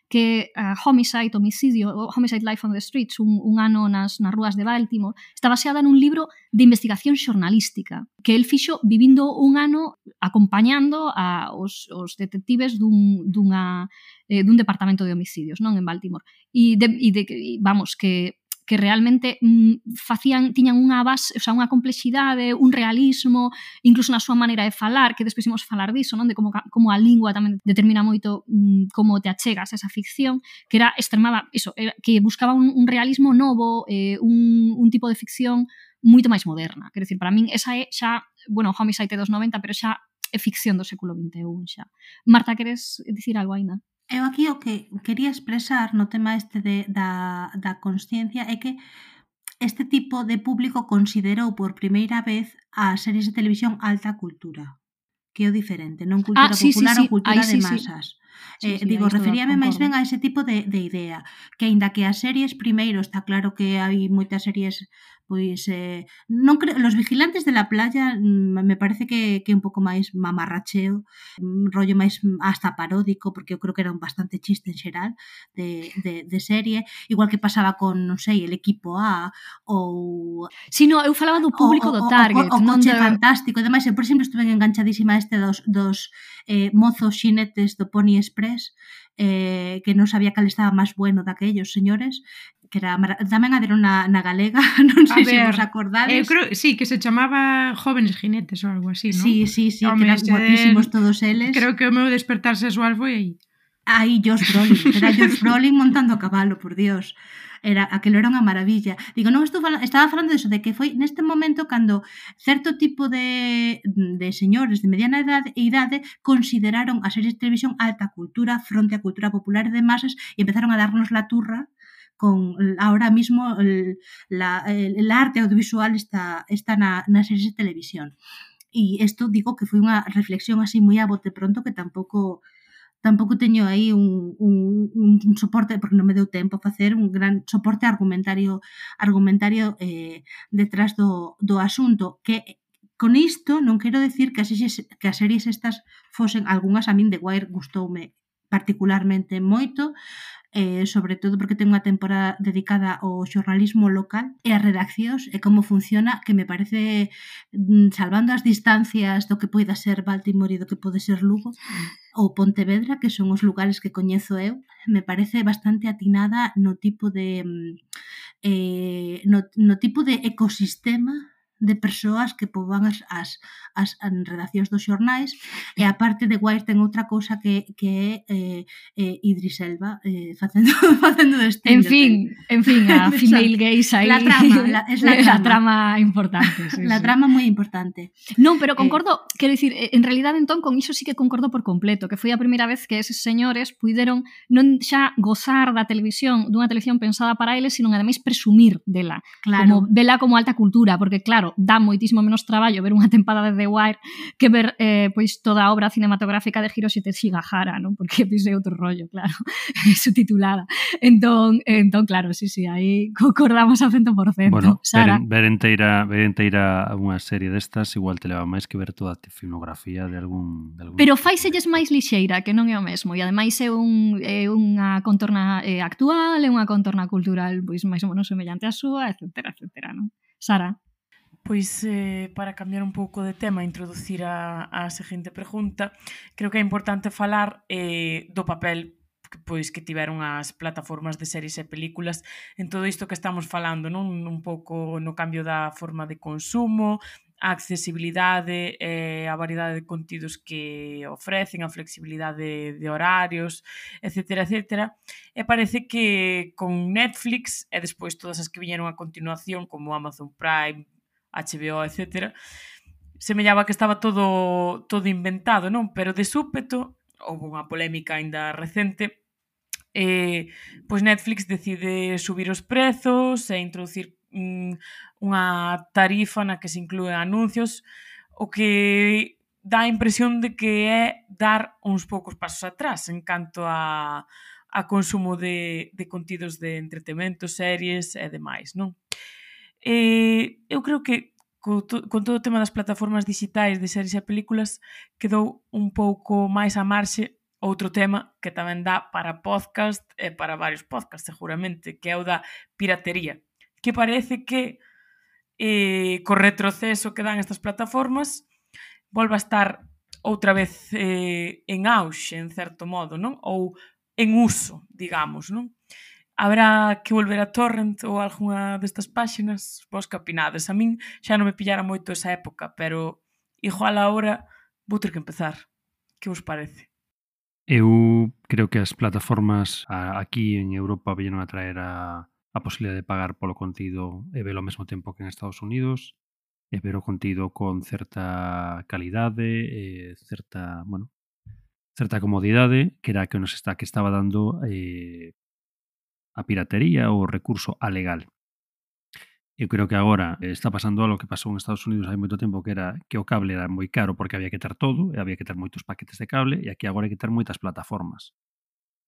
que uh, Homicide, Homicidio, Homicide Life on the Streets, un, un ano nas, nas rúas de Baltimore, está baseada nun libro de investigación xornalística que el fixo vivindo un ano acompañando a os, os detectives dun, dunha, eh, dun departamento de homicidios, non, en Baltimore. E, de, e de, vamos, que que realmente mm, facían, tiñan unha base, o sea, unha complexidade, un realismo, incluso na súa maneira de falar, que despois imos falar diso, non? De como, como a lingua tamén determina moito mm, como te achegas a esa ficción, que era extremada, iso, era, que buscaba un, un realismo novo, eh, un, un tipo de ficción moito máis moderna. Quero dicir, para min esa é xa, bueno, Homicide dos noventa, pero xa é ficción do século vinte e un xa. Marta, queres dicir algo aínda? Eu aquí o que quería expresar no tema este de, da, da consciencia é que este tipo de público considerou por primeira vez as series de televisión alta cultura, que é o diferente, non cultura ah, sí, popular sí, sí. ou cultura Aí, de sí, masas. Sí, Eh, sí, digo, aí estou de referíame máis acordo. ben a ese tipo de, de idea, que aínda que as series primeiro está claro que hai moitas series pois eh, non creo, Los Vigilantes de la Playa mm, me parece que, que é un pouco máis mamarracheo, un rollo máis hasta paródico, porque eu creo que era un bastante chiste en xeral de, de, de serie, igual que pasaba con, non sei, El Equipo A ou Si, no, eu falaba do público o, do o, target, o, o non Coche de... Fantástico e demais. Eu, por exemplo, estuve enganchadísima a este dos, dos eh, mozos xinetes do Pony Express, eh, que non sabía cal estaba máis bueno daquellos señores, que era tamén a deron na, na galega, non sei se vos acordades. Eu creo, sí, que se chamaba Jóvenes Jinetes ou algo así, non? Sí, sí, sí, Home, que eran ese- guapísimos todos eles. Creo que o meu despertar sexual foi aí. Aí Josh Brolin, era Josh Brolin montando a cabalo, por Dios. Era, aquilo era unha maravilla. Digo, non estou falando, estaba falando diso, de que foi neste momento cando certo tipo de, de señores de mediana edade, idade consideraron as series de televisión alta cultura fronte á cultura popular de masas e empezaron a darnos la turra con ahora mismo el, la, el, el arte audiovisual está, está na, nas series de televisión. E isto digo que foi unha reflexión así moi a bote pronto, que tampouco tampouco teño aí un, un, un soporte, porque non me deu tempo a facer un gran soporte argumentario argumentario eh, detrás do, do asunto, que con isto non quero decir que as series, que as series estas fosen, algunhas a min The Wire gustoume particularmente moito, eh, sobre todo porque ten unha temporada dedicada ao xornalismo local e ás redaccións e como funciona, que me parece, salvando as distancias do que poida ser Baltimore e do que pode ser Lugo ou Pontevedra, que son os lugares que coñezo eu, me parece bastante atinada no tipo de eh, no, no tipo de ecosistema de persoas que poboan as, as, as redaccións dos xornais, e a parte de Wire ten outra cousa que, que é eh, eh, Idris Elba eh, facendo, facendo de Sting. En fin, en fin, a female gays aí. La trama, la, es la trama. La trama importante, sí, La sí. trama moi importante. Non, pero concordo, eh, quero dicir, en realidad entón con iso sí que concordo por completo, que foi a primeira vez que eses señores puideron non xa gozar da televisión, dunha televisión pensada para eles, sino ademais presumir dela, Claro. como vela como alta cultura, porque claro, dá moitísimo menos traballo ver unha tempada de The Wire que ver eh, pois toda a obra cinematográfica de Hiroshi Teshigahara, non? Porque pois é outro rollo, claro, subtitulada. Entón, entón claro, sí, sí, aí concordamos a cento por cento. Bueno, Sara. ver, ver enteira, ver enteira unha serie destas igual te leva máis que ver toda a filmografía de algún... De algún Pero faiselles máis lixeira, que non é o mesmo, e ademais é, un, é unha contorna eh, actual, é unha contorna cultural pois máis ou menos semellante á súa, etcétera, etcétera, non? Sara? Pois, eh, para cambiar un pouco de tema, introducir a, a seguinte pregunta, creo que é importante falar eh, do papel que, pois, que tiveron as plataformas de series e películas en todo isto que estamos falando, non? Un pouco no cambio da forma de consumo, a accesibilidade, eh, a variedade de contidos que ofrecen, a flexibilidade de horarios, etcétera, etcétera. E parece que con Netflix e despois todas as que viñeron a continuación, como Amazon Prime, H B O, etcétera, semellaba que estaba todo todo inventado, non? Pero de súpeto, houve unha polémica aínda recente, eh, pois Netflix decide subir os prezos e introducir mm, unha tarifa na que se inclúen anuncios, o que dá a impresión de que é dar uns poucos pasos atrás en canto a, a consumo de, de contidos de entretemento, series e demais, non? E eu creo que co to, con todo o tema das plataformas digitais de series e películas quedou un pouco máis a marxe outro tema que tamén dá para podcast e para varios podcasts seguramente, que é o da piratería, que parece que eh, co retroceso que dan estas plataformas volva a estar outra vez eh, en auxe, en certo modo, non? Ou en uso, digamos, non? Habrá que volver a Torrent ou algunha destas páxinas? Vos que opinades? A min xa non me pillara moito esa época, pero igual agora vou ter que empezar. Que vos parece? Eu creo que as plataformas a, aquí en Europa veñeron a traer a, a posibilidad de pagar polo contido e velo ao mesmo tempo que en Estados Unidos, e ver o contido con certa calidade e certa, bueno, certa comodidade, que era que nos está que estaba dando eh, a piratería ou o recurso alegal. Eu creo que agora está pasando algo que pasou en Estados Unidos hai moito tempo, que era que o cable era moi caro porque había que ter todo, e había que ter moitos paquetes de cable, e aquí agora hai que ter moitas plataformas.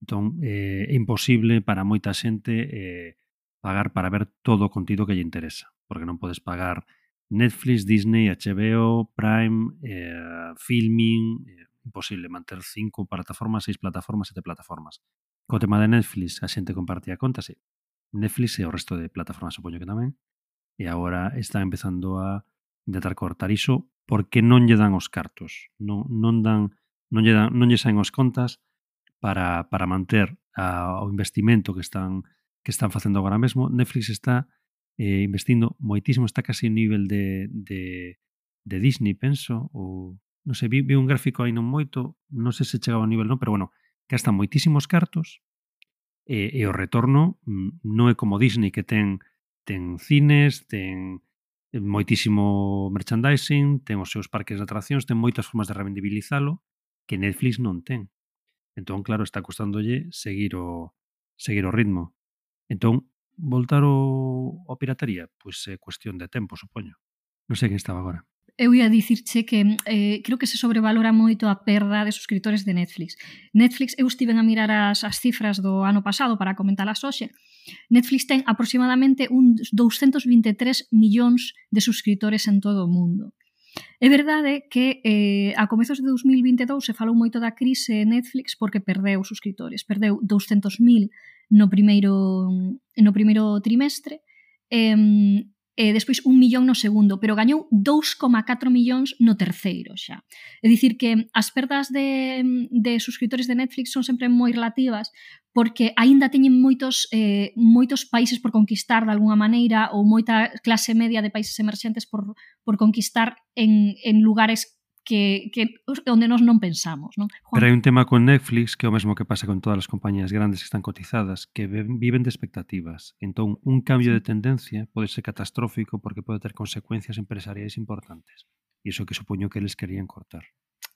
Entón, eh, é imposible para moita xente eh, pagar para ver todo o contido que lle interesa, porque non podes pagar Netflix, Disney, H B O, Prime, eh, Filmin, eh, imposible manter cinco plataformas, seis plataformas, sete plataformas. Co tema de Netflix, a xente compartía contas, e Netflix e o resto de plataformas supoño que tamén, e agora está empezando a intentar cortar iso porque non lle dan os cartos, non, non dan non lle dan, non lle saen os contas para, para manter a, o investimento que están que están facendo agora mesmo. Netflix está eh, investindo moitísimo, está casi a nivel de, de, de Disney, penso, ou non sei, vi, vi un gráfico aí non moito, non sei se chegaba a nivel non, pero bueno, gastan moitísimos cartos e, e o retorno mm, non é como Disney, que ten ten cines, ten moitísimo merchandising, ten os seus parques de atraccións, ten moitas formas de rendibilizalo que Netflix non ten. Entón, claro, está costándolle seguir o seguir o ritmo. Entón, voltar o, o piratería, pois é cuestión de tempo, supoño. Non sei quen estaba agora. Eu ia dicirche que eh, creo que se sobrevalora moito a perda de suscriptores de Netflix. Netflix, eu estiven a mirar as, as cifras do ano pasado para comentalas hoxe. Netflix ten aproximadamente uns doscientos vinte e tres millóns de suscriptores en todo o mundo. É verdade que eh, a comezos de dos mil vinte e dous se falou moito da crise Netflix porque perdeu suscriptores. Perdeu doscientos mil no primeiro, no primeiro trimestre e, e despois un millón no segundo, pero gañou dous coma catro millóns no terceiro xa. É dicir que as perdas de, de suscriptores de Netflix son sempre moi relativas porque aínda teñen moitos, eh, moitos países por conquistar de alguna maneira ou moita clase media de países emerxentes por, por conquistar en, en lugares que, que onde nós non pensamos, non? Juan? Pero hai un tema con Netflix que é o mesmo que pasa con todas as compañías grandes que están cotizadas, que viven de expectativas. Entón, un cambio de tendencia pode ser catastrófico porque pode ter consecuencias empresariais importantes. E iso que supoño que eles querían cortar.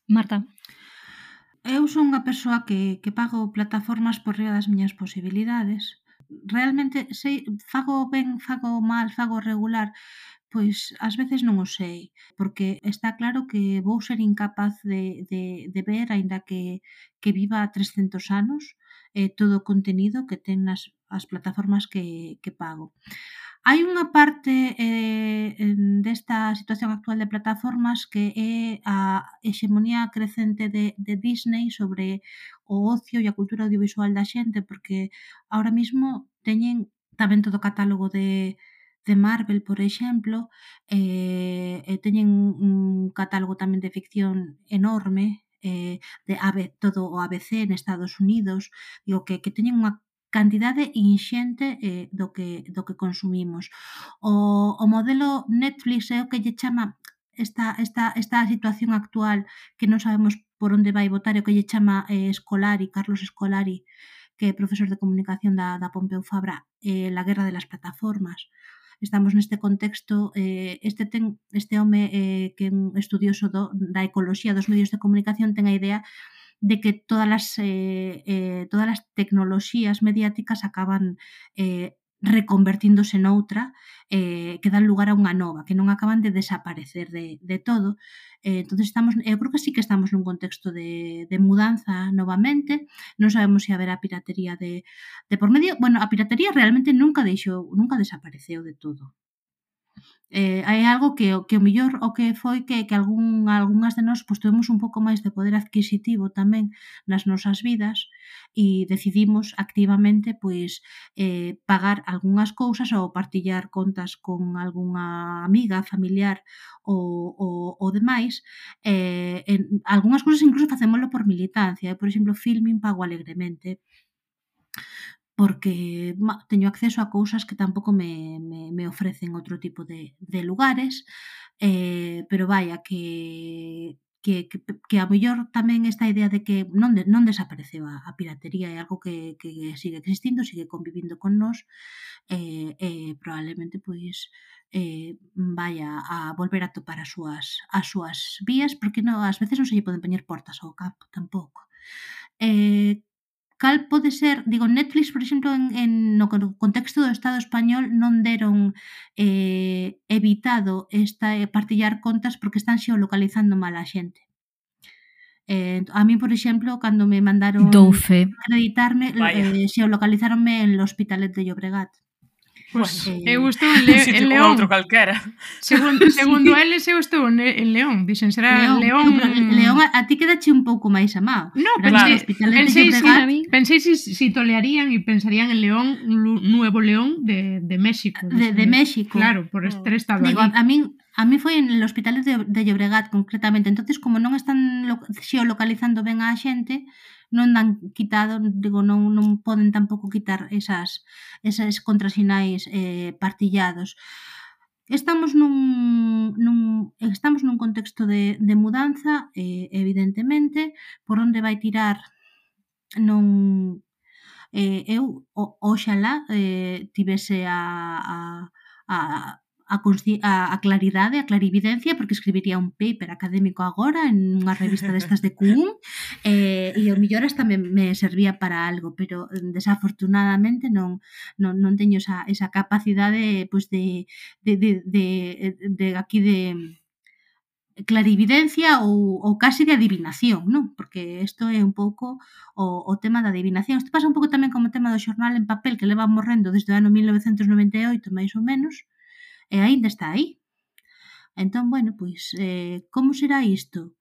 Marta? Eu son unha persoa que, que pago plataformas por riba das miñas posibilidades. Realmente sei, fago ben, fago mal, fago regular. Pois ás veces non o sei, porque está claro que vou ser incapaz de, de, de ver, aínda que, que viva trescentos anos, eh, todo o contenido que ten nas as plataformas que, que pago. Hai unha parte eh, desta situación actual de plataformas que é a hexemonía crecente de, de Disney sobre o ocio e a cultura audiovisual da xente, porque ahora mismo teñen tamén todo o catálogo de de Marvel, por exemplo, eh, e teñen un catálogo tamén de ficción enorme, eh, de A B, todo o A B C en Estados Unidos, digo que, que teñen unha cantidade inxente eh, do, que, do que consumimos. O, o modelo Netflix é o que lle chama esta, esta, esta situación actual que non sabemos por onde vai votar, é o que lle chama eh, Scolari, Carlos Scolari, que é profesor de comunicación da, da Pompeu Fabra, eh, la guerra de las plataformas. Estamos neste contexto, eh, este ten este home eh, que é un estudioso do, da ecoloxía dos medios de comunicación ten a idea de que todas as, eh, eh, todas as tecnoloxías mediáticas acaban eh, reconvertíndose noutra, eh, que dan lugar a unha nova, que non acaban de desaparecer de, de todo. Eh, entonces estamos, eu creo que sí que estamos nun contexto de, de mudanza novamente. Non sabemos se haberá piratería de, de por medio. Bueno, a piratería realmente nunca deixou, nunca desapareceu de todo. Eh, hai algo que, que o mellor o que foi que, que algún, algunhas de nós pues, tuvemos un pouco máis de poder adquisitivo tamén nas nosas vidas e decidimos activamente pois, eh, pagar algunhas cousas ou partillar contas con algunha amiga, familiar ou, ou, ou demais. Eh, en, algunhas cousas incluso facémoslo por militancia. Por exemplo, Filmin pago alegremente porque ma, teño acceso a cousas que tampouco me, me, me ofrecen outro tipo de, de lugares, eh, pero vaya, que, que, que, que a mellor tamén esta idea de que non, de, non desapareceu a, a piratería, é algo que, que sigue existindo, sigue convivindo con nós, e eh, eh, probablemente pois eh, vaya a volver a topar as súas, as súas vías, porque no, ás veces non se lle poden poñer portas ao campo tampouco. Eh, cal pode ser, digo, Netflix, por exemplo, en, en no contexto do Estado español non deron eh, evitado esta eh, partillar contas porque están xeolocalizando mal a xente. Eh, a mí, por exemplo, cando me mandaron acreditarme, eh, xeolocalizaronme en el Hospitalet de Llobregat. Pois pues, eh, eu estou en, Le en León. Outro calquera. Segundo, segundo sí. eles, eu estou en, en León. Dicen, será León. León, no, León a, a ti quedache un pouco máis amado. No, pensei, pensei, si, pensei si, si tolearían e pensarían en León, Nuevo León de, de México. De, de México. Claro, por estar estado Digo, allí. A, a min A mí foi en el Hospitalet de, de Llobregat, concretamente. Entonces, como non están lo, xeolocalizando ben a xente, non dan quitado, digo, non, non poden tampouco quitar esas, esas contrasinais eh, partillados. Estamos nun, nun, estamos nun contexto de, de mudanza, eh, evidentemente, por onde vai tirar non... Eh, eu, o, oxalá, eh, tivese a... a, a A, a, a claridade, a clarividencia, porque escribiría un paper académico agora en unha revista destas de Q U M, eh, e o mellor hasta me, me servía para algo, pero desafortunadamente non, non, non teño esa, esa capacidade pues, de, de, de, de, de aquí de clarividencia ou, ou casi de adivinación, non? Porque isto é un pouco o, o tema da adivinación. Isto pasa un pouco tamén como o tema do xornal en papel que leva morrendo desde o ano mil novecentos noventa e oito, máis ou menos, e aínda está aí. Entón, bueno, pois, eh, como será isto?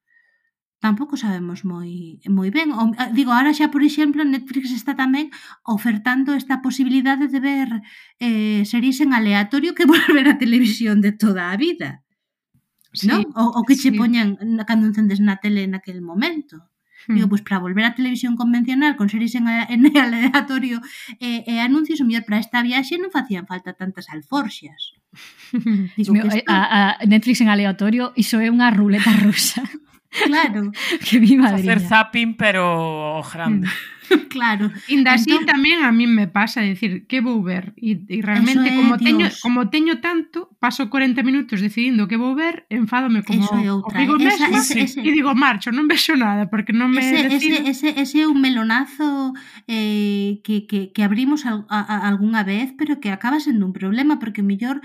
Tampouco sabemos moi moi ben. O, digo, ahora xa, por exemplo, Netflix está tamén ofertando esta posibilidade de ver eh, series en aleatorio que volver a televisión de toda a vida. Sí, non? O, o que che sí. poñan cando encendes na tele naquele momento. Digo, pois para volver á televisión convencional con series en, en aleatorio e, e anuncios, o mellor para esta viaxe non facían falta tantas alforxas. Digo, Meu, esto... a, a Netflix en aleatorio, iso é unha ruleta rusa. Claro. Que mi madriña. Facer zapping, pero grande. Claro. Inda así entón... tamén a mí me pasa, decir, que vou ver? E, e realmente, como teño, como teño tanto, paso corenta minutos decidindo que vou ver, enfádome como comigo mesma e digo, marcho, non vexo nada, porque non me ese, decido. Ese, ese, ese é un melonazo eh, que, que, que abrimos a, a, algunha vez, pero que acaba sendo un problema, porque mellor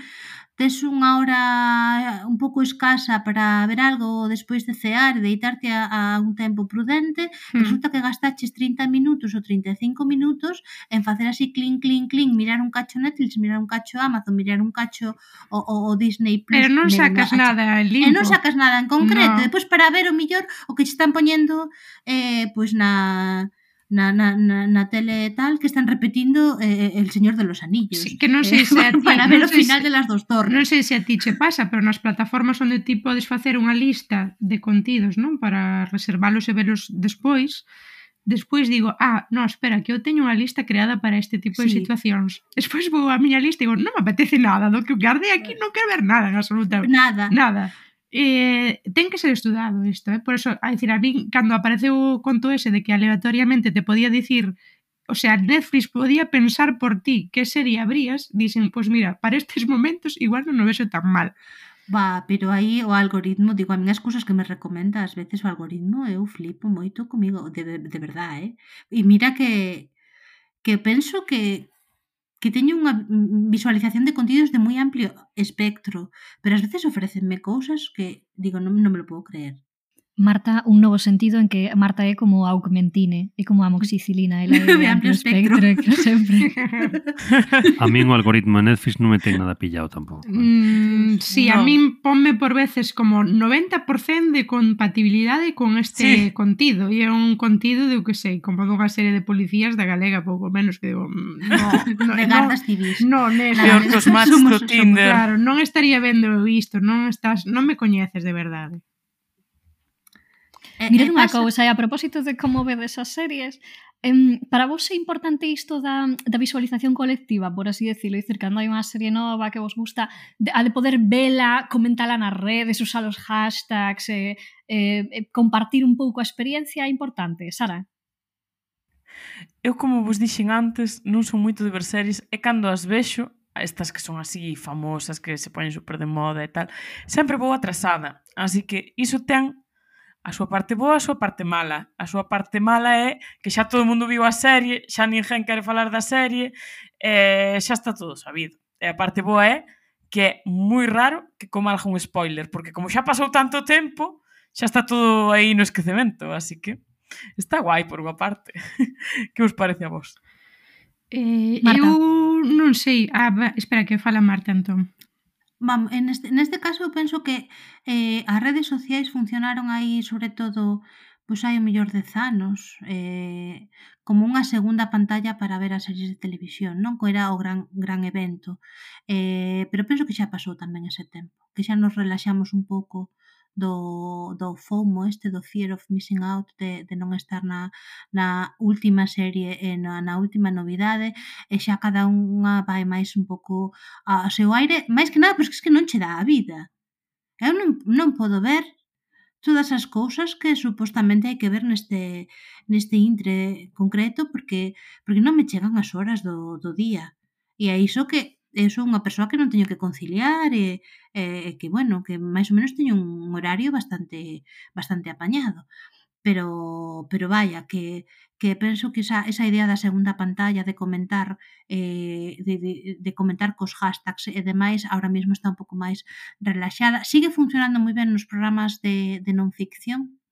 tes unha hora un pouco escasa para ver algo despois de cear e deitarte a, a un tempo prudente, mm. resulta que gastaches trinta minutos ou trinta e cinco minutos en facer así clink, clink, clink, mirar un cacho Netflix, mirar un cacho Amazon, mirar un cacho o, o, o Disney Plus. Pero non sacas nada en limpo. E non sacas nada en concreto. No. Depois para ver o millor o que che están poñendo eh, pois na... Na, na, na, na tele tal que están repetindo eh, El Señor de los Anillos. Sí, que non sei se a ti, para ver o sei final se, de las dos torres. Non sei se a ti che pasa, pero nas plataformas onde ti podes facer unha lista de contidos, non, para reservalos e velos despois, despois digo, ah, no, espera, que eu teño unha lista creada para este tipo de sí. situacións. Despois vou a miña lista e digo, non me apetece nada, do que guardei aquí non quero ver nada en absolutamente. Nada. Nada. Eh, ten que ser estudado isto, eh? Por eso, a decir, a mí, cando apareceu o conto ese de que aleatoriamente te podía dicir, o sea, Netflix podía pensar por ti que serie abrías, dicen, pues mira, para estes momentos igual non o vexo tan mal. Va, pero aí o algoritmo, digo, a mí as cousas que me recomenda ás veces o algoritmo, eu flipo moito comigo, de, de verdad, eh? E mira que que penso que que teño unha visualización de contidos de moi amplio espectro, pero ás veces ofrécenme cousas que digo, non, non me lo puedo creer. Marta, un novo sentido en que Marta é como a augmentine, é como a amoxicilina, ela é De de amplio amplio espectro. espectro, que sempre. A min o algoritmo de Netflix non me ten nada pillado tampouco. Mm, sí, a No. min ponme por veces como noventa por cento de compatibilidade con este Sí. contido, e é un contido de, o que sei, como dunha serie de policías da galega, pouco menos, que digo, mm, no, no, De no, gardas civis. no, nesa, Peor que os match Somos- do Tinder. claro, non estaría vendo isto, non estás, non me coñeces de verdade. E- Mirad e unha pasa- cousa, e a propósito de como vedes as series, em, para vos é importante isto da, da visualización colectiva, por así decirlo, dicir, cando hai unha serie nova que vos gusta, de, a de poder vela, comentala nas redes, usar os hashtags, eh, eh, eh, compartir un pouco a experiencia é importante, Sara? Eu, como vos dixen antes, non son moito de ver series, e cando as vexo, estas que son así famosas, que se poñen super de moda e tal, sempre vou atrasada. Así que iso ten a súa parte boa, a súa parte mala. A súa parte mala é que xa todo o mundo viu a serie, xa ninguén quere falar da serie, e xa está todo sabido. E a parte boa é que é moi raro que coma algún spoiler, porque como xa pasou tanto tempo, xa está todo aí no esquecemento, así que está guai por unha parte. Que vos parece a vos? Eh, Marta. eu non sei, ah, va, espera que fala Marta, entón. Vamos, en este, neste caso eu penso que eh, as redes sociais funcionaron aí sobre todo pois hai o mellor dez anos eh, como unha segunda pantalla para ver as series de televisión, non? Que era o gran, gran evento. Eh, pero penso que xa pasou tamén ese tempo, que xa nos relaxamos un pouco do, do FOMO este, do Fear of Missing Out, de, de non estar na, na última serie e na, na última novidade, e xa cada unha vai máis un pouco ao seu aire, máis que nada, pois que es que non che dá a vida. Eu non, non podo ver todas as cousas que supostamente hai que ver neste, neste intre concreto porque porque non me chegan as horas do, do día. E é iso que eu sou unha persoa que non teño que conciliar e, e que, bueno, que máis ou menos teño un horario bastante bastante apañado. Pero pero vaya, que que penso que esa esa idea da segunda pantalla de comentar eh de de de comentar cos hashtags e demais, ahora mesmo está un pouco máis relaxada. Sigue funcionando moi ben nos programas de de non ficción.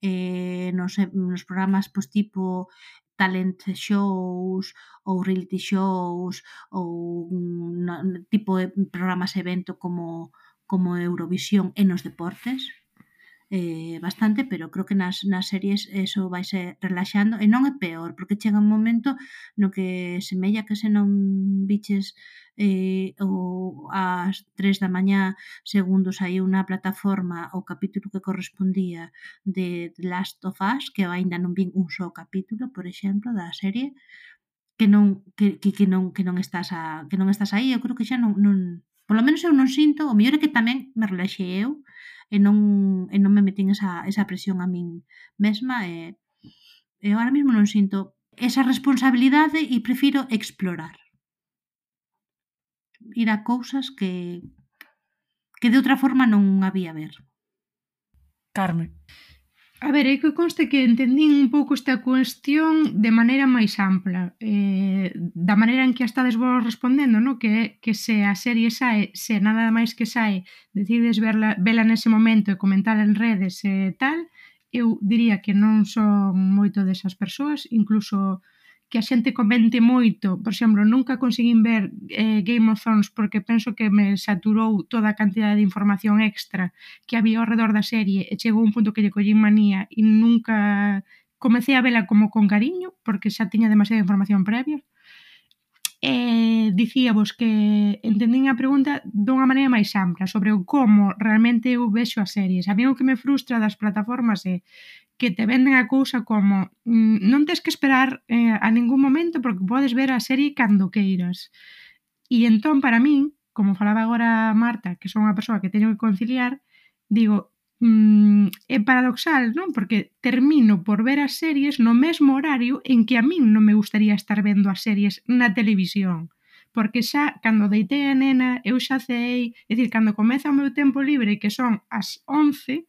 Eh nos nos programas pois tipo talent shows ou reality shows ou na, tipo de programas evento como como Eurovisión e nos deportes. Eh, bastante, pero creo que nas, nas series eso vai ser relaxando e non é peor, porque chega un momento no que semella que se non biches eh, o ás tres da mañá segundo saiu na plataforma o capítulo que correspondía de The Last of Us, que eu aínda non vin un só capítulo, por exemplo, da serie, que non que, que, que non que non estás a, que non estás aí, eu creo que xa non, non polo menos eu non sinto, o mellor é que tamén me relaxei eu e non, e non me metín esa, esa presión a min mesma e, e ahora mesmo non sinto esa responsabilidade e prefiro explorar, ir a cousas que que de outra forma non había ver. Carme. A ver, é que conste que entendín un pouco esta cuestión de maneira máis ampla, eh, da maneira en que a estades vos respondendo, no? que, que se a serie sae, se nada máis que sae, decides verla, vela nese momento e comentala en redes e tal, eu diría que non son moito desas persoas, incluso que a xente comente moito, por exemplo, nunca conseguín ver eh, Game of Thrones porque penso que me saturou toda a cantidad de información extra que había ao redor da serie e chegou un punto que lle collín manía e nunca comecei a vela como con cariño porque xa tiña demasiada información previa. E dicíavos que entendín a pregunta dunha maneira máis ampla sobre o como realmente eu vexo as series. A mí o que me frustra das plataformas é que te venden a cousa como mm, non tens que esperar eh, a ningún momento porque podes ver a serie cando queiras. E entón, para min, como falaba agora Marta, que son unha persoa que teño que conciliar, digo, mm, é paradoxal, non? Porque termino por ver as series no mesmo horario en que a min non me gustaría estar vendo as series na televisión. Porque xa, cando deitei a nena, eu xa cei, é dicir, cando comeza o meu tempo libre, que son as once,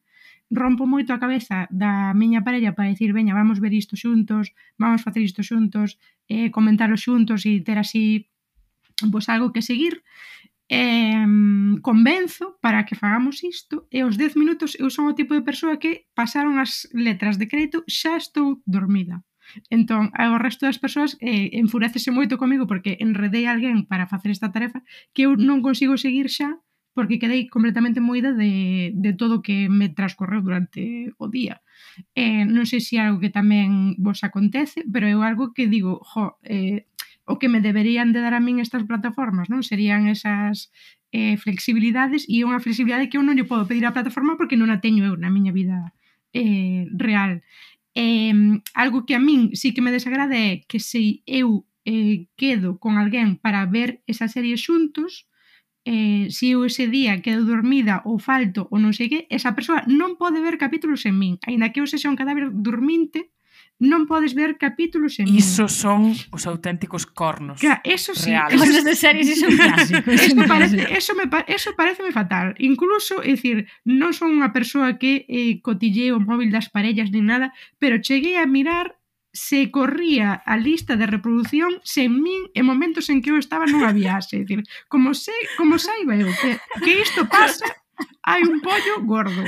rompo moito a cabeza da miña parella para dicir, veña, vamos ver isto xuntos, vamos facer isto xuntos, eh, comentalo xuntos e ter así pois algo que seguir, eh, convenzo para que fagamos isto e aos dez minutos eu son o tipo de persoa que pasaron as letras de crédito xa estou dormida. Entón, o resto das persoas eh, enfurecese moito comigo porque enredei a alguén para facer esta tarefa que eu non consigo seguir xa porque quedei completamente moída de, de todo o que me transcorreu durante o día. Eh, non sei se é algo que tamén vos acontece, pero é algo que digo, jo, eh, o que me deberían de dar a min estas plataformas, non? Serían esas eh, flexibilidades e unha flexibilidade que eu non lle podo pedir á plataforma porque non a teño eu na miña vida eh, real. Eh, algo que a min sí que me desagrada é que se eu eh, quedo con alguén para ver esa serie xuntos, eh, se eu ese día quedo dormida ou falto ou non sei que, esa persoa non pode ver capítulos en min, aínda que eu sexa un cadáver dorminte, non podes ver capítulos en min. Iso son os auténticos cornos. Claro, eso sí, reales. Cosas de series iso é un clásico. Eso parece, eso me eso pareceme fatal. Incluso, é dicir, non son unha persoa que eh, cotillea o móvil das parellas nin nada, pero cheguei a mirar se corría a lista de reproducción sen min en momentos en que eu estaba nunha viaxe. É dicir, como, se, como saiba eu que, que isto pasa, hai un pollo gordo.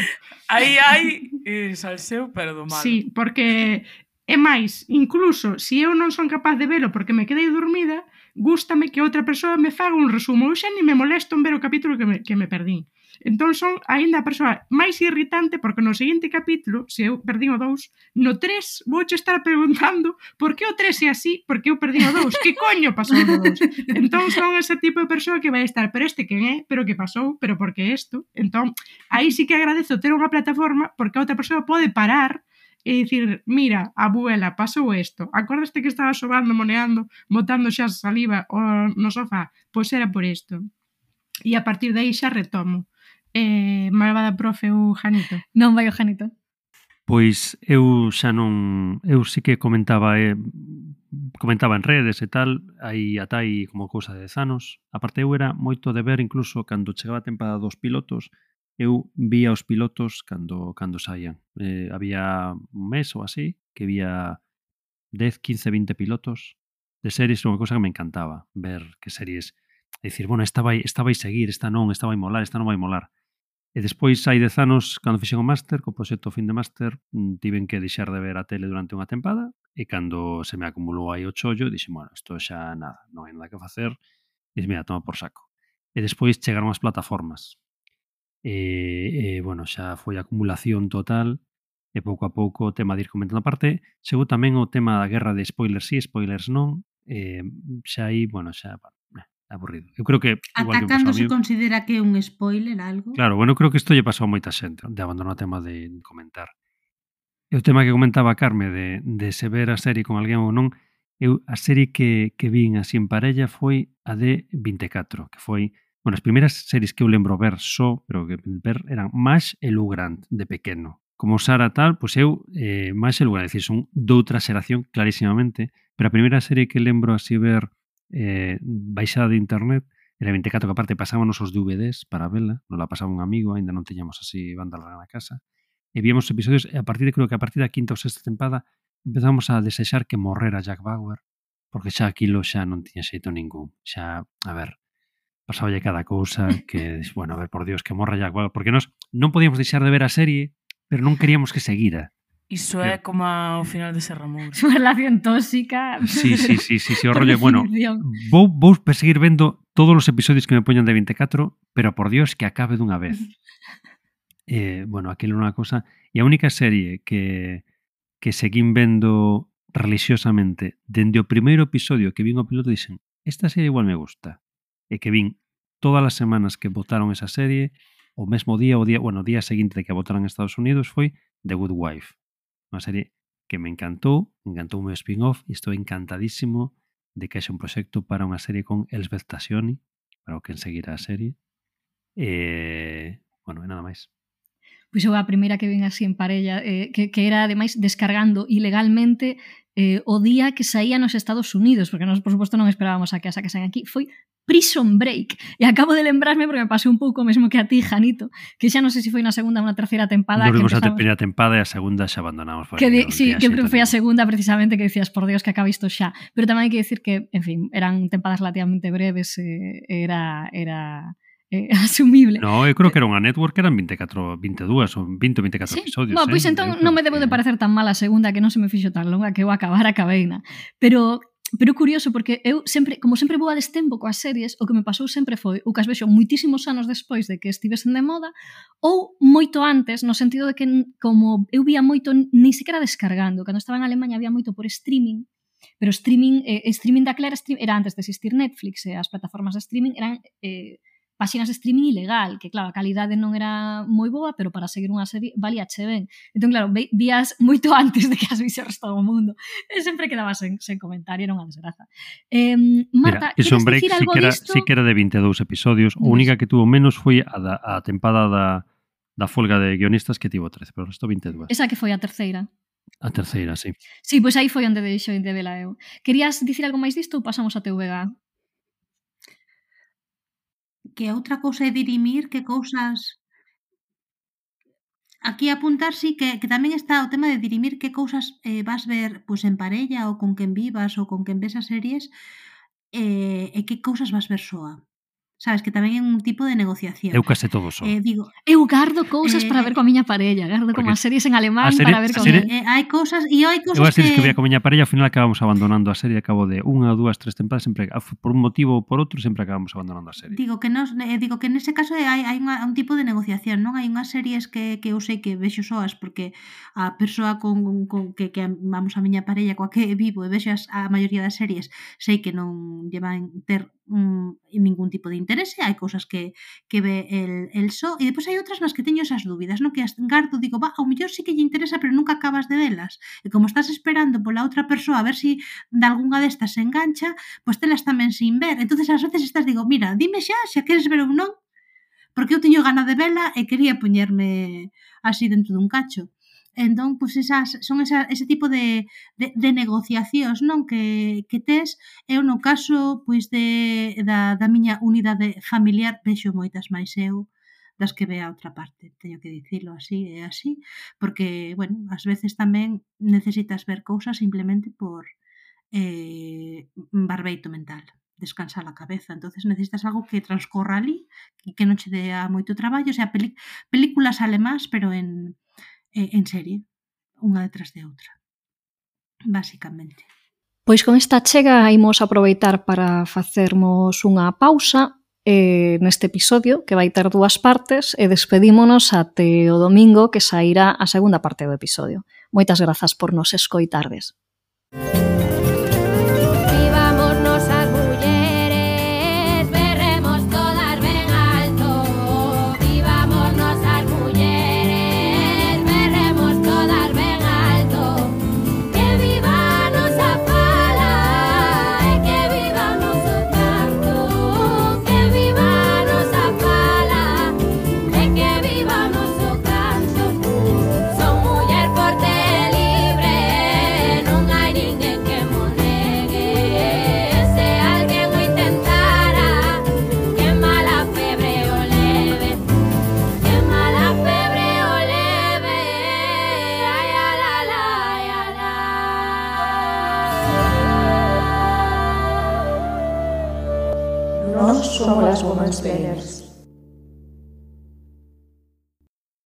Aí hai eh, salseo, pero do malo. Sí, porque é máis, incluso se eu non son capaz de velo porque me quedei dormida, gústame que outra persoa me faga un resumo. Eu xa ni me molesto en ver o capítulo que me, que me perdín. Entón son aínda a persoa máis irritante porque no seguinte capítulo, se eu perdín o dous, no tres vouche estar preguntando por que o tres é así, porque eu perdín o dous, que coño pasou no dous? Entón son ese tipo de persoa que vai estar, pero este quen é, pero que pasou, pero porque isto. Entón, aí sí que agradezo ter unha plataforma porque a outra persoa pode parar e dicir, mira, abuela, pasou isto, acordaste que estaba sobando, moneando, botando xa saliva no sofá? Pois era por isto. E a partir de aí xa retomo. Eh, malvada profe ou Janito? Non vai o Janito. Pois eu xa non... Eu sí que comentaba eh, comentaba en redes e tal, aí ata aí como cousa de dez anos. A parte eu era moito de ver incluso cando chegaba a temporada dos pilotos, eu vía os pilotos cando cando saían. Eh, había un mes ou así que vía dez, quince, vinte pilotos de series, unha cousa que me encantaba, ver que series, é dicir, bueno, esta vai, esta vai seguir, esta non, esta vai molar, esta non vai molar. E despois, hai dez anos, cando fixen o máster, co proxecto Fin de Máster, tiven que deixar de ver a tele durante unha tempada, e cando se me acumulou aí o chollo, dixen, bueno, isto xa nada, non hai nada que facer, e dixen, mira, toma por saco. E despois chegaron as plataformas. E, e bueno, xa foi acumulación total, e pouco a pouco o tema de ir comentando a parte, chegou tamén o tema da guerra de spoilers sí, spoilers non, e xa aí, bueno, xa, aburrido. Eu creo que igual Ata que cando se mí, considera que é un spoiler algo? claro, bueno, creo que isto lle pasou a moita xente, de abandonar o tema de comentar. E o tema que comentaba a Carme de, de se ver a serie con alguén ou non, eu a serie que, que vin así en parella foi a de vinte e catro, que foi, bueno, as primeiras series que eu lembro ver só, pero que ver eran Mash e Lou Grant de pequeno. Como Sara tal, pois eu eh, Mash e Lou Grant, é dicir, son doutra xeración clarísimamente, pero a primeira serie que lembro así ver eh, baixada de internet era vinte e catro, que aparte pasábamos os D V Ds para vela, non la pasaba un amigo, ainda non teñamos así banda larga na casa, e víamos episodios, e a partir de, creo que a partir da quinta ou sexta tempada empezamos a desexar que morrera Jack Bauer, porque xa aquilo xa non tiña xeito ningún, xa, a ver, pasáballe cada cousa que, bueno, a ver, por Dios, que morra Jack Bauer, porque nós non podíamos deixar de ver a serie, pero non queríamos que seguira. Iso é como o final de Serra Moura. Súa relación tóxica. Sí, sí, sí, sí, sí, o rollo, bueno, vou, vou perseguir vendo todos os episodios que me poñan de vinte e catro, pero por Dios que acabe dunha vez. Eh, bueno, aquilo é unha cosa, e a única serie que, que seguín vendo religiosamente dende o primeiro episodio que vin o piloto, dixen, esta serie igual me gusta, e que vin todas as semanas que votaron esa serie, o mesmo día, o día, bueno, o día seguinte de que a votaron en Estados Unidos, foi The Good Wife. Unha serie que me encantou, me encantou o meu spin-off e estou encantadísimo de que haxe un proxecto para unha serie con Elsbeth Tascioni, para o que enseguirá a serie. E, bueno, e nada máis. Pois eu a primeira que vin así en parella, eh, que, que era ademais descargando ilegalmente eh, o día que saía nos Estados Unidos, porque nós, por suposto, non esperábamos a que a sacasen aquí, foi Prison Break. E acabo de lembrarme porque me pasou un pouco o mesmo que a ti, Janito, que xa non sei se foi na segunda ou na terceira tempada. Nos vimos que a primeira tempada e a segunda xa abandonamos. Que de, sí, que foi a segunda precisamente que decías, por Dios, que acaba isto xa. Pero tamén hai que decir que, en fin, eran tempadas relativamente breves, eh, era... era eh, asumible. No, eu creo que era unha network que eran vinte e catro, vinte e dúas ou vinte ou vinte e catro sí. episodios. Bueno, pois eh? entón non me debo de parecer tan mal a segunda, que non se me fixo tan longa que eu acabar a cabeina. Pero pero curioso, porque eu sempre, como sempre vou a destempo coas series, o que me pasou sempre foi o que as vexo moitísimos anos despois de que estivesen de moda, ou moito antes, no sentido de que como eu vía moito, ni siquiera descargando, cando estaba en Alemanha había moito por streaming, pero streaming, eh, streaming daquela era, era antes de existir Netflix, e as plataformas de streaming eran eh, páxinas de streaming ilegal, que claro, a calidade non era moi boa, pero para seguir unha serie valía che ben. Entón, claro, vías moito antes de que as vise o resto do mundo. E sempre quedaba sen, sen comentario, era unha desgraza. Eh, Marta, queres dicir sí algo que era, disto? Sí que era de vinte e dous episodios, a única que tuvo menos foi a, da, a tempada da, da folga de guionistas que tivo trece, pero o resto vinte e dúas. Esa que foi a terceira. A terceira, sí. Sí, pois aí foi onde deixo de vela eu. Querías dicir algo máis disto ou pasamos a T V G? Que outra cousa é dirimir que cousas... Aquí apuntar sí que, que tamén está o tema de dirimir que cousas eh, vas ver pues, en parella ou con quen vivas ou con quen ves as series eh, e que cousas vas ver soa. Sabes, que tamén é un tipo de negociación. Eu case todo só. Eh, digo, eu gardo cousas eh, para ver coa miña parella, gardo como as series en alemán serie, para ver con serie, él. Eh, hai cousas e hai cousas eu as series que... que vía con miña parella, ao final acabamos abandonando a serie, acabo de unha, dúas, tres tempadas, sempre por un motivo ou por outro sempre acabamos abandonando a serie. Digo que nos, eh, digo que nese caso hai, hai unha, un tipo de negociación, non? Hai unhas series que, que eu sei que vexo soas porque a persoa con, con que, que vamos a miña parella coa que vivo e vexo as, a maioría das series sei que non llevan ter um, ningún tipo de interese, hai cousas que, que ve el, el só, e depois hai outras nas que teño esas dúbidas, non? Que as gardo, digo, va, ao mellor sí que lle interesa, pero nunca acabas de velas. E como estás esperando pola outra persoa a ver si de algunha destas se engancha, pois telas tamén sin ver. Entonces ás veces estás, digo, mira, dime xa, xa queres ver ou non, porque eu teño gana de vela e quería poñerme así dentro dun cacho. Entón, pois esas, son esa, ese tipo de, de, de negociacións, non? Que, que tes, eu no caso pois de, da, da miña unidade familiar vexo moitas máis eu das que ve a outra parte, teño que dicilo así e así, porque, bueno, ás veces tamén necesitas ver cousas simplemente por eh, barbeito mental, descansar a cabeza, entonces necesitas algo que transcorra ali, que, que non che dea moito traballo, o sea, peli, películas alemás, pero en en serie, unha detrás de outra, basicamente. Pois con esta chega imos aproveitar para facermos unha pausa eh, neste episodio que vai ter dúas partes e despedímonos até o domingo que sairá a segunda parte do episodio. Moitas grazas por nos escoitardes. Nós somos as Women's Planners.